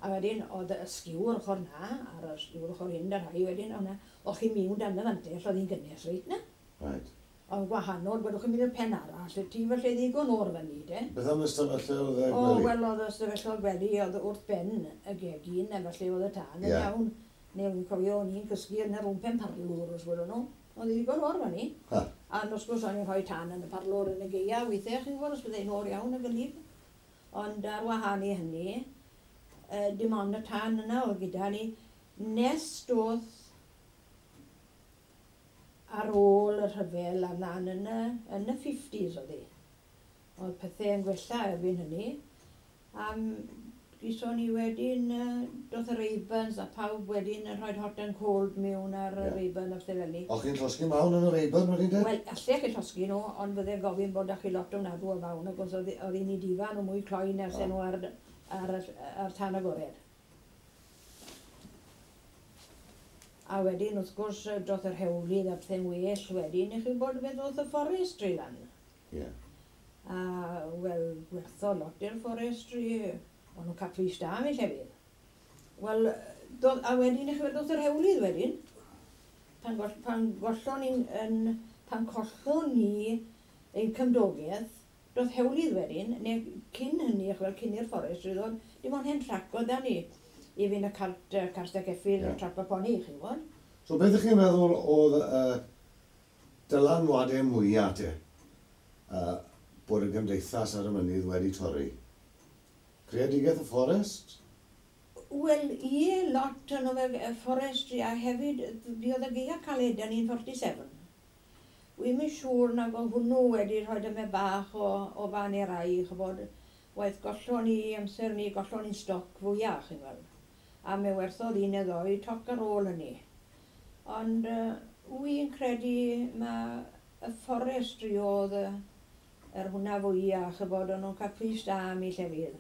A wedyn, oedd y sgiwr ochr na, a'r sgiwr ochr hyn, da rhai wedyn, o'na, o'ch chi'n miwn dan y fantell, oedd hi'n gynnes reit na. Right. Ond gwahanol, gwedwch chi'n mynd i'r pen arall, y tŷ felly ddigon o'r fyny, de. Beth am ystafelloedd y gwely? O, wel, oedd ystafelloedd gwely, oedd wrth ben y gegin, a felly oedd y tân yn Ie. iawn. Neu fi'n cofio, o'n i'n cysgu yn y rwm pen parlwr, os gwelwn nhw. Oedd hi ddigon oer fyny. Ha. A wrth gwrs o'n i'n rhoi tân yn y parlwr yn y gaea, weithiau, chi'n gwybod, os byddai'n oer iawn y gwlyb. Ond ar wahân i hynny, uh, dim ond y tân yna oedd gyda ni, nes doedd ar ôl y rhyfel a mlaen yn y, yn y fifties oedd hi. Oedd pethau yn gwella erbyn hynny. A gison ni wedyn, uh, doedd y Raybans a pawb wedyn yn rhoi hot and cold mewn ar y Ie. Rayban a pethau fel 'ny. O'ch chi'n llosgi mawn yn y Rayban wedyn de? Wel, allech chi llosgi nhw, ond fydde gofyn bod â chi lot ofnadw o fawn, ac os oedd oedd hi'n i difa nhw mwy cloi nes Ah. nhw ar, ar, ar tân agored. A wedyn, wrth gwrs, doth yr hewlydd a pethau'n well wedyn, i chi bod beth oedd y forestry lan. Ie. A, wel, gwertho lot i'r forestry, o'n nhw'n cael pris da am eu llefydd. Wel, dodd, a wedyn, i chi weld, doth yr hewlydd wedyn, pan, goll, pan gollon ni'n, yn, pan collon ni ein cymdogaeth, doth hewlydd wedyn, neu cyn hynny, chi weld, cyn i'r forestry ddod, dim ond hen trac oedd 'da ni, i fynd y cart, uh, cart a ceffyl, Ie. yeah. trap a poni, chi'n gwybod. So beth ych chi'n meddwl oedd uh, dylanwadau mwyaf te, uh, bod y gymdeithas ar y mynydd wedi torri? Creadigaeth y fforest? Wel, ie, lot yn oedd y forestry, a hefyd, buodd y gaea caled yn un forty-seven. Wi'm yn siŵr nag oedd hwnnw wedi rhoi dyma bach o, o fan i'r rai, ch'bod, waith gollon ni amser ni, gollon ni'n stoc fwyaf, chi'n gweld. A mi werthodd un neu ddoi toc ar ôl hynny. Ond uh, wi'n credu ma y forestry oedd y, yr hwnna fwyaf, ch'bod, o'n nhw'n cael pris da am eu llefydd.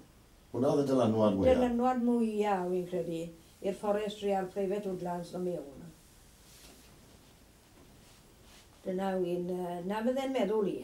Hwnna oedd y dylanwad mwyaf? Dylanwad mwyaf, wi'n credu, i'r forestry a'r private woodlands o mewn. Dyna wy'n, uh, na fydde'n meddwl i.